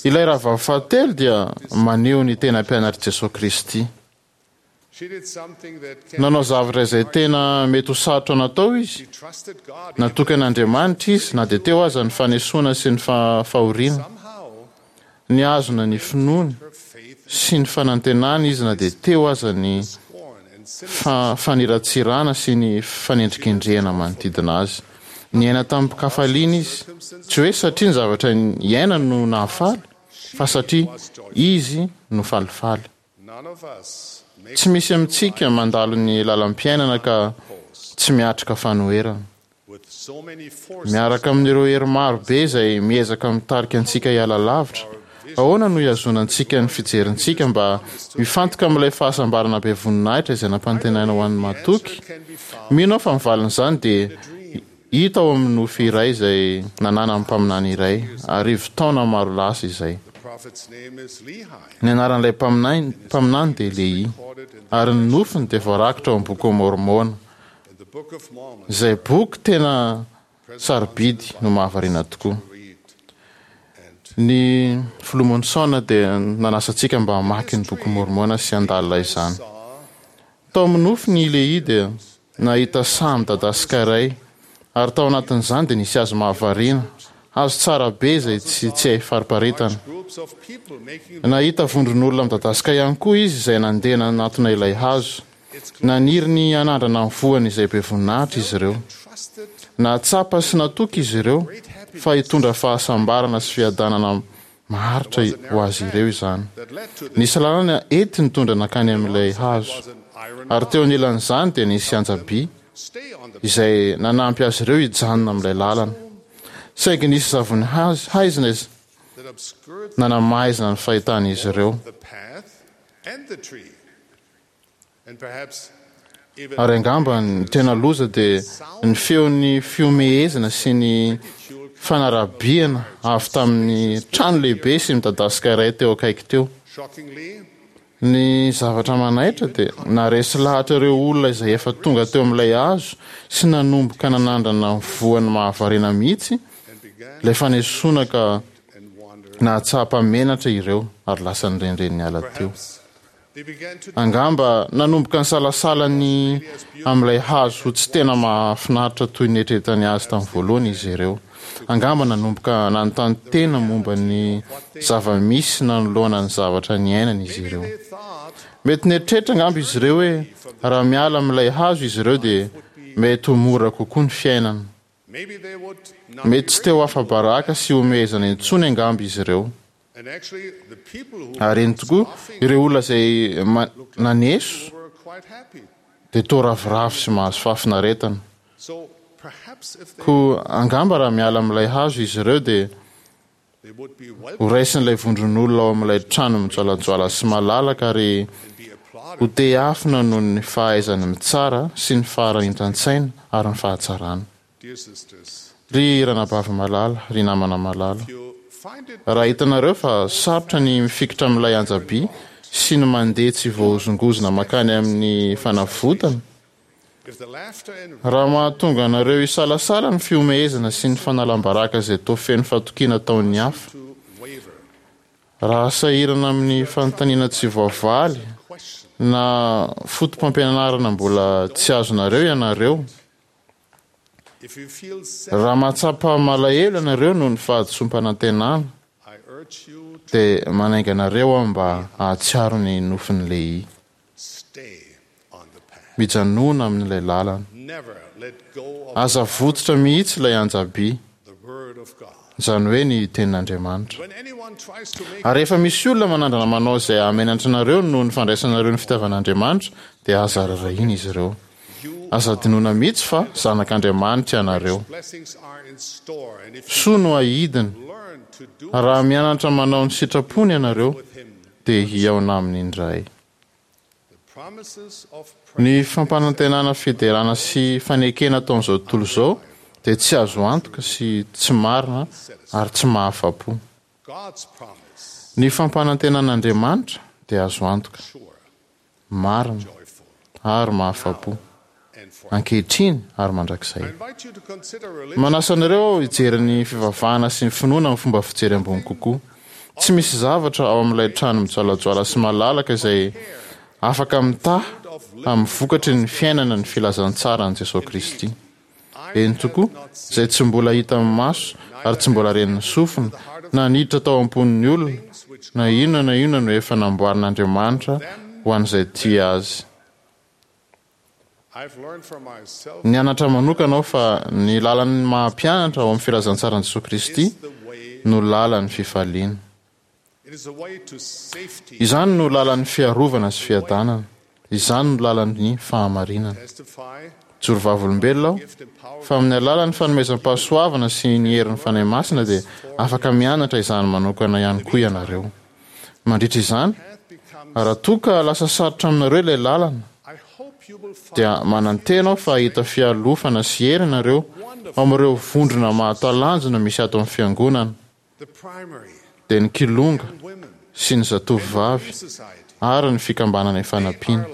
[SPEAKER 10] Ilay rahavavy fahatelo dia maneho ny tena mpianatr'i Jesoa Kristy. Nanao zavatra izay tena mety ho sarotra natao izy. Natoky an'Andriamanitra izy na dia teo aza ny fanesoana sy ny fahoriana. Nihazona ny finoany sy ny fanantenany izy na dia teo aza ny faniratsirana sy ny fanendrikendrehana manodidina azy. Niaina tamim-kafaliana izy, tsy hoe satria ny zavatra niainany no nahafaly, fa satria izy no falifaly. Tsy misy amintsika mandalo ny lalam-piainana ka tsy miatrika fanoherana. Miaraka amin'ireo hery maro be izay miezaka mitarika antsika hiala lavitra, ahoana no hihazonantsika ny fijerintsika mba hifantoka amin'ilay fahasambarana be voninahitra izay nampanantenaina ho an'ny matoky? Mino aho fa ny valin'izany dia hita ao amin'ny nofy iray izay nananan'ny mpaminany iray, arivo taona maro lasa izay. Ny anaran'ilay mpaminany dia Lehia, ary ny nofiny dia voarakitra ao amin'ny Bokin'i Môrmôna, izay boky tena sarobidy no mahavariana tokoa. Ny Filoha Monson dia nanasa antsika mba hamaky ny Bokin'i Môrmôna sy handalina izany. Tao amin'ny nofiny i Lehia dia nahita saha midadasika iray, ary tao anatin'izany dia nisy hazo mahavariana, hazo tsara be izay tsy tsy hay fariparitana. Nahita vondron'olona midadasika ihany koa izy izay nandeha nanatona ilay hazo. Naniry ny hanandrana ny voany izay be voninahitra izy ireo. Nahatsapa sy natoky izy ireo fa hitondra fahasambarana sy fiadanana maharitra ho azy ireo izany. Nisy lalana ety nitondra nankany amin'ilay hazo, ary teo anilan'izany dia nisy anja-by izay nanampy azy ireo hijanona amin'ilay lalana. Saingy nisy zavony haizina nanamaizina ny fahitan'izy ireo. Ary angamba ny tena loza dia ny feon'ny fihomehezana sy ny fanarabiana avy tamin'ny trano lehibe sy midadasika iray teo akaiky teo. Ny zavatra manaitra dia naharesy lahatra ireo olona izay efa tonga teo amin'ilay hazo sy nanomboka nanandrana ny voany mahavariana mihitsy ilay fanesoana ka nahatsapa menatra ireo ary lasa nirenireny niala teo. Angamba nanomboka nisalasala ny amin'ilay hazo ho tsy tena mahafinaritra toy ny eritreretany azy tamin'ny voalohany izy ireo. Angamba nanomboka nanontany tena momba ny zava-misy nanoloana ny zavatra niainany izy ireo. Mety nieritreritra angamba izy ireo hoe raha miala amin'ilay hazo izy ireo dia mety ho mora kokoa ny fiainana. Mety tsy te ho afa-baraka sy hihomehezana intsony angamba izy ireo. Ary eny tokoa, ireo olona izay naneso dia toa ravoravo sy mahazo fahafinaretana. Koa angamba raha miala amin'ilay hazo izy ireo dia horaisin'ilay vondron'olona ao amin'ilay trano mijoalajoala sy malalaka ary hotehafina noho ny fahaizany mitsara sy ny faharanitan-tsaina ary ny fahatsarana. Ry ranabavy malala, ry namana malala, raha hitanareo fa sarotra ny mifikitra amin'ilay anja-by sy ny mandeha tsy voahozongozona mankany amin'ny fanavotana, raha mahatonga anareo hisalasala ny fihomehezana sy ny fanalam-baraka izay toa feno fatokiana ataon'ny hafa, raha sahirana amin'ny fanontaniana tsy voavaly na fotopampianarana mbola tsy azonareo ianareo, Raha mahatsapa malahelo ianareo noho ny fahadisoam-panantenana, dia manainga anareo aho mba hahatsiaro ny nofin'i Lehia. Mijanòna amin'ilay lalana. Aza avototra mihitsy ilay anja-by, izany hoe ny Tenin'Andriamanitra. Ary rehefa misy olona manandrana manao izay hahamenatra anareo noho ny fandraisanareo ny fitiavan'Andriamanitra, dia aza rarahina izy ireo. Aza adinoina mihitsy fa zanak'Andriamanitra ianareo. Soa no ahidiny. Raha mianatra manao ny sitrapony ianareo, dia hihaona aminy indray. Ny fampanantenana fiderana sy fanekena ataon'izao tontolo izao dia tsy azo antoka sy tsy marina ary tsy mahafa-po. Ny fampanantenan'Andriamanitra dia azo antoka, marina ary mahafa-po, ankehitriny ary mandrakizay. Manasa anareo aho hijery ny fivavahana sy ny finoana amin'ny fomba fijery ambony kokoa. Tsy misy zavatra ao amin'ilay trano mijoalajoala sy malalaka izay afaka mitaha amin'ny vokatry ny fiainana ny filazantsaran'i Jesoa Kristy. Eny tokoa, izay tsy mbola hitan'ny maso ary tsy mbola ren'ny sofina, na niditra tao am-pon'ny olona, na inona na inona no efa namboarin'Andriamanitra ho an'izay tia Azy. Nianatra manokana aho fa ny lalan'ny maha-mpianatra ao amin'ny filazantsaran'i Jesoa Kristy no lalan'ny fifaliana. Izany no lalan'ny fiarovana sy fiadanana. Izany no lalan'ny fahamarinana. Mijoro vavolombelona aho fa amin'ny alalan'ny fanomezam-pahasoavana sy ny herin'ny Fanahy Masina dia afaka mianatra izany manokana ihany koa ianareo. Mandritra izany, raha toa ka lasa sarotra aminareo ilay lalana, dia manantena aho fa hahita fialofana sy hery ianareo ao amin'ireo vondrona mahatalanjona misy ato amin'ny Fiangonana, dia ny Kilonga sy ny Zatovovavy ary ny Fikambanana Ifanampiana.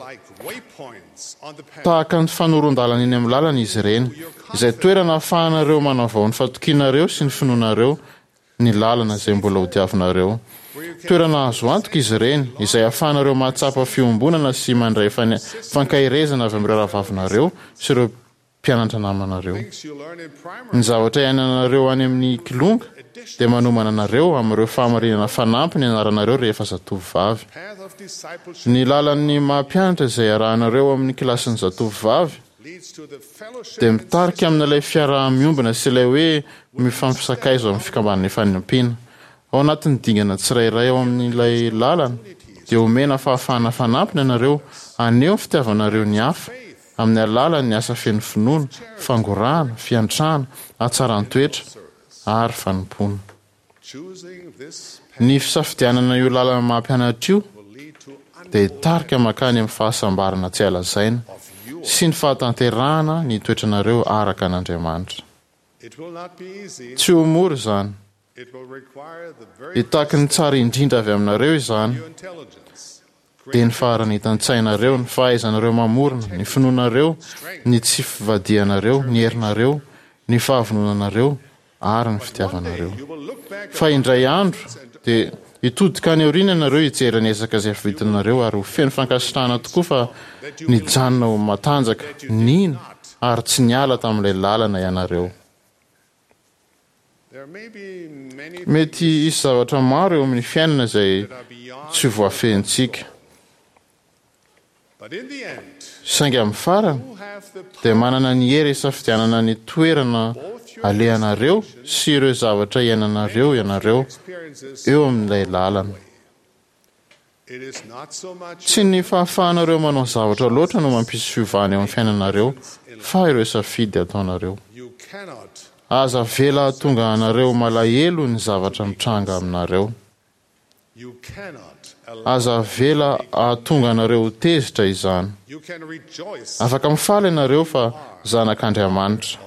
[SPEAKER 10] Tahaka ny fanoron-dalana eny amin'ny lalana izy ireny, izay toerana ahafahanareo manavao ny fatokianareo sy ny finoanareo ny lalana izay mbola hodiavinareo. Toerana azo antoka izy ireny, izay ahafahanareo mahatsapa fiombonana sy mandray fankaherezana avy amin'ireo rahavavinareo sy ireo mpianatra namanareo. Ny zavatra iainanareo any amin'ny Kilonga dia manomana anareo amin'ireo fahamarinana fanampiny ianaranareo rehefa zatovovavy. Ny lalan'ny maha-mpianatra izay arahanareo amin'ny kilasin'ny zatovovavy dia mitarika amin'ilay fiaraha-miombona sy ilay hoe mifampisakaiza ao amin'ny fikambanana ifanampiana. Ao anatin'ny dingana tsirairay ao amin'ilay lalana, dia omena fahafahana fanampiny ianareo haneho ny fitiavanareo ny hafa amin'ny alalan'ny asa feno finoana, fangorahana, fiantrana, hatsaran-toetra ary fanompoana. Ny fisafidianana io lalana maha-mpianatra io dia hitarika mankany amin'ny fahasambarana tsy hay lazaina sy ny fahatanterahana ny toetranareo araka an'Andriamanitra. Tsy ho mora izany. Hitaky ny tsara indrindra avy aminareo izany, dia ny faharanitan-tsainareo, ny fahaizanareo mamorona, ny finoanareo, ny tsy fivadihanareo, ny herinareo, ny fahavononanareo, ary ny fitiavanareo. Fa indray andro dia hitodika any aoriana ianareo hijery ny ezaka izay vitanareo ary ho feno fankasitrahana tokoa fa nijanona ho matanjaka, nino ary tsy niala tamin'ilay lalana ianareo. Mety hisy zavatra maro eo amin'ny fiainana izay tsy voafehintsika. Saingy amin'ny farany, dia manana ny hery hisafidianana ny toerana alehanareo sy ireo zavatra iainanareo ianareo eo amin'ilay lalana. Tsy ny fahafahanareo manao zavatra loatra no mampisy fiovana eo amin'ny fiainanareo fa ireo safidy ataonareo. Aza avela hahatonga anareo malahelo ny zavatra mitranga aminareo. Aza avela hahatonga anareo ho tezitra izany. Afaka mifaly ianareo fa zanak'Andriamanitra.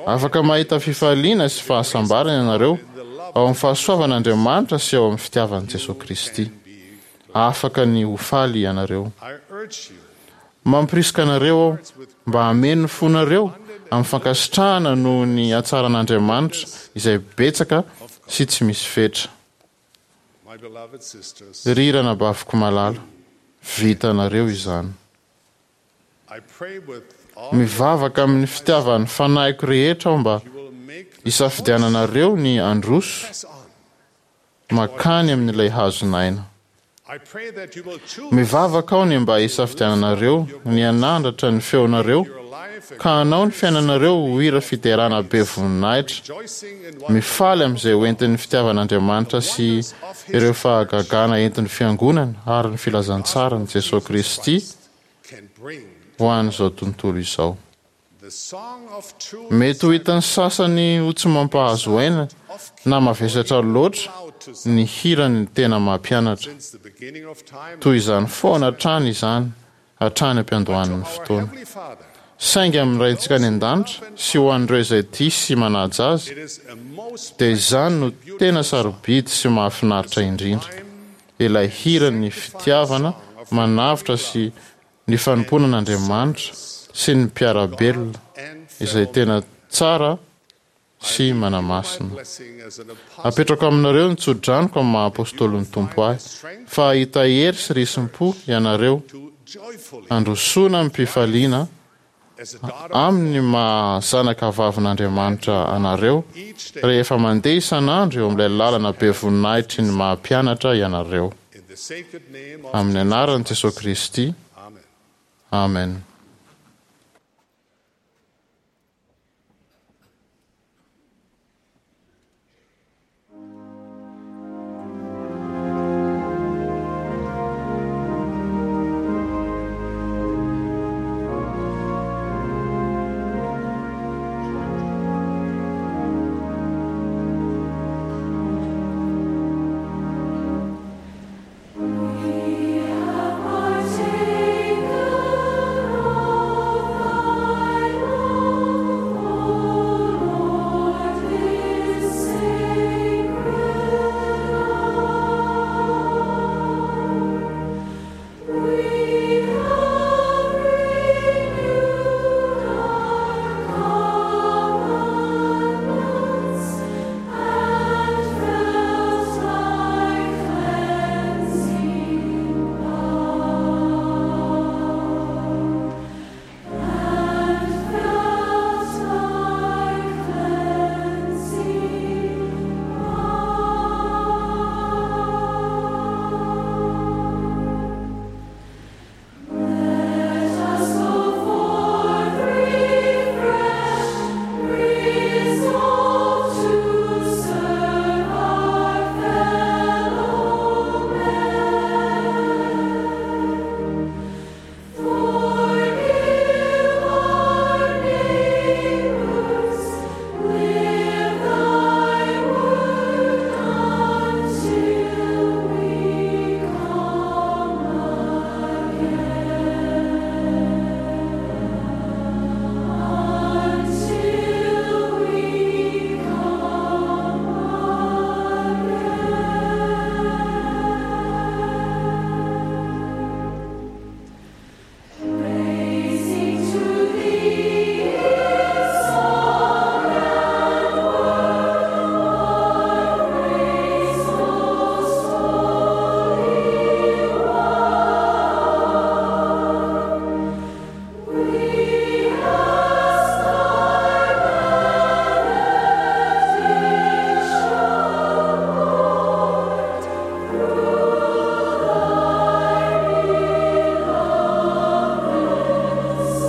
[SPEAKER 10] Afaka mahita fifaliana sy fahasambarana ianareo ao amin'ny fahasoavan'Andriamanitra sy ao amin'ny fitiavan'i Jesoa Kristy. Afaka ny ho faly ianareo. Mampirisika anareo aho mba hameno ny fonareo amin'ny fankasitrahana noho ny hatsaran'Andriamanitra izay betsaka sy tsy misy fetra. Ry ranabaviko malala, vitanareo izany. Mivavaka amin'ny fitiavan'ny fanahiko rehetra aho mba hisafidiananareo ny handroso mankany amin'ilay hazon'aina. Mivavaka aho ny mba hisafidiananareo ny hanandratra ny feonareo ka hanao ny fiainanareo ho hira fiderana be voninahitra, mifaly amin'izay hoentin'ny fitiavan'Andriamanitra sy ireo fahagagana entin'ny fiangonana ary ny filazantsaran'i Jesosy Kristy ho an'izao tontolo izao. Mety ho hitan'ny sasany ho tsy mampahazo aina na mavesatra loatra ny hiran'ny tena mampianatra. Toy izany foana hatrany izany hatrany am-piandohan'ny fotoana. Saingy amin'ny Raintsika any an-danitra sy ho an'ireo izay tia sy manaja azy, dia izany no tena sarobidy sy mahafinaritra indrindra, ilay hiran'ny fitiavana manavotra sy ny fanompoana an'Andriamanitra sy ny mpiara-belona izay tena tsara sy manamasina. Apetrako aminareo ny tsodranoko amin'ny maha apôstôlin'ny Tompo ahy, fa hahita hery sy risim-po ianareo handrosoana amim-pifaliana amin'ny maha zanaka vavin'Andriamanitra anareo rehefa mandeha isan'andro eo amin'ilay lalana be voninahitry ny maha mpianatra ianareo. Amin'ny anaran'i Jesosy Kristy. Amen.
[SPEAKER 4] We have partaken of thy love, O Lord, this sacred hour. We have renewed our covenants and felt thy cleansing power. And felt thy cleansing power. Let us go forth refreshed, resolved to serve our fellow men. Forgive our neighbors, live thy word until we come again. Until we come again. Praising to thee in song and word, our praise most holy one. We ask thy benediction, Lord, through thy beloved Son, through thy beloved Son.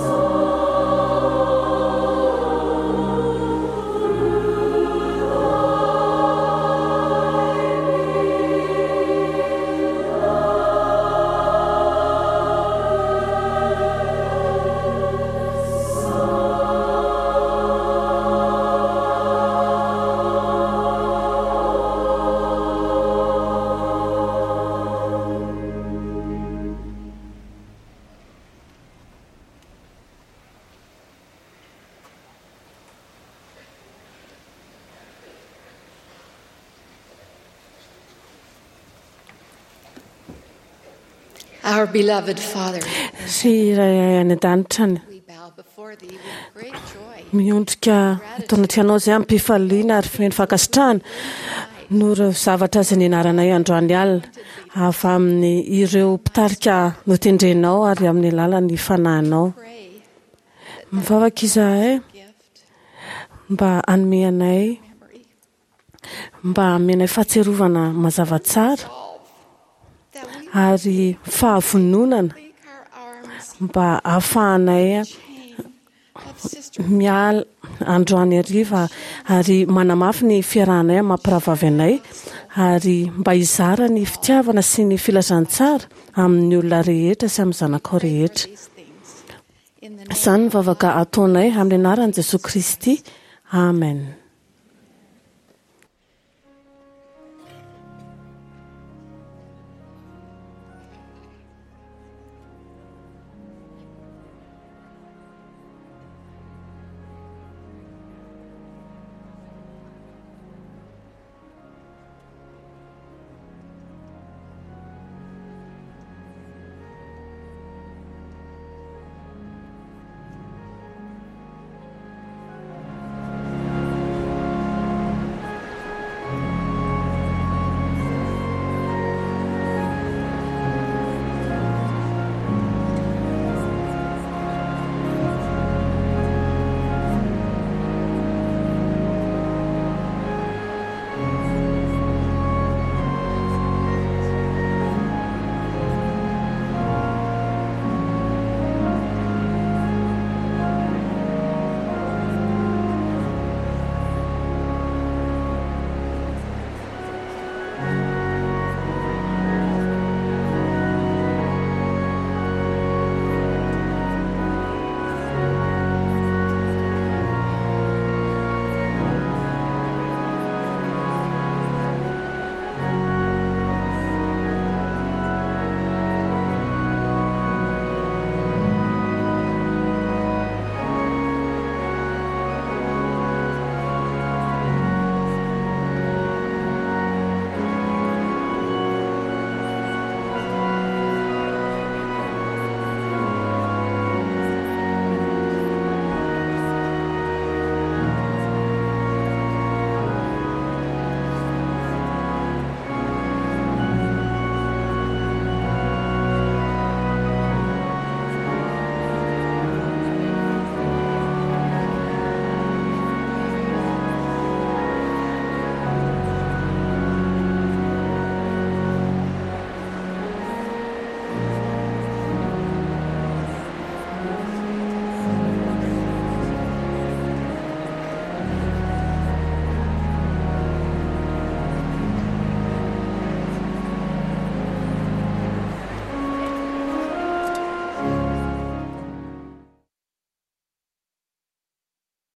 [SPEAKER 7] Our beloved Father,
[SPEAKER 3] Ry Ray any an-danitra any,
[SPEAKER 7] we bow before thee with great joy.
[SPEAKER 3] miondrika eto anatrehanao izay amim-pifaliana ary feno fankasitrahana noho ireo zavatra izay nianaranay androany alina avy amin'ny ireo mpitarika notendrenao ary amin'ny alalan'ny fanahinao.
[SPEAKER 7] Pray
[SPEAKER 3] Mivavaka izahay
[SPEAKER 7] gift,
[SPEAKER 3] mba hanome anay
[SPEAKER 7] memory,
[SPEAKER 3] mba hamenay fahatsiarovana mazava tsara
[SPEAKER 7] that we
[SPEAKER 3] ary fahavononana
[SPEAKER 7] link our arms
[SPEAKER 3] mba hahafahanay
[SPEAKER 7] chain
[SPEAKER 3] Miala androany hariva ary manamafy ny fiarahanay amin'ny mampirahavavy anay ary mba hizara ny fitiavana sy ny filazantsara amin'ny olona rehetra sy amin'ny zanakao rehetra. Izany ny vavaka ataonay amin'ny anaran'i Jesosy Kristy. Amen.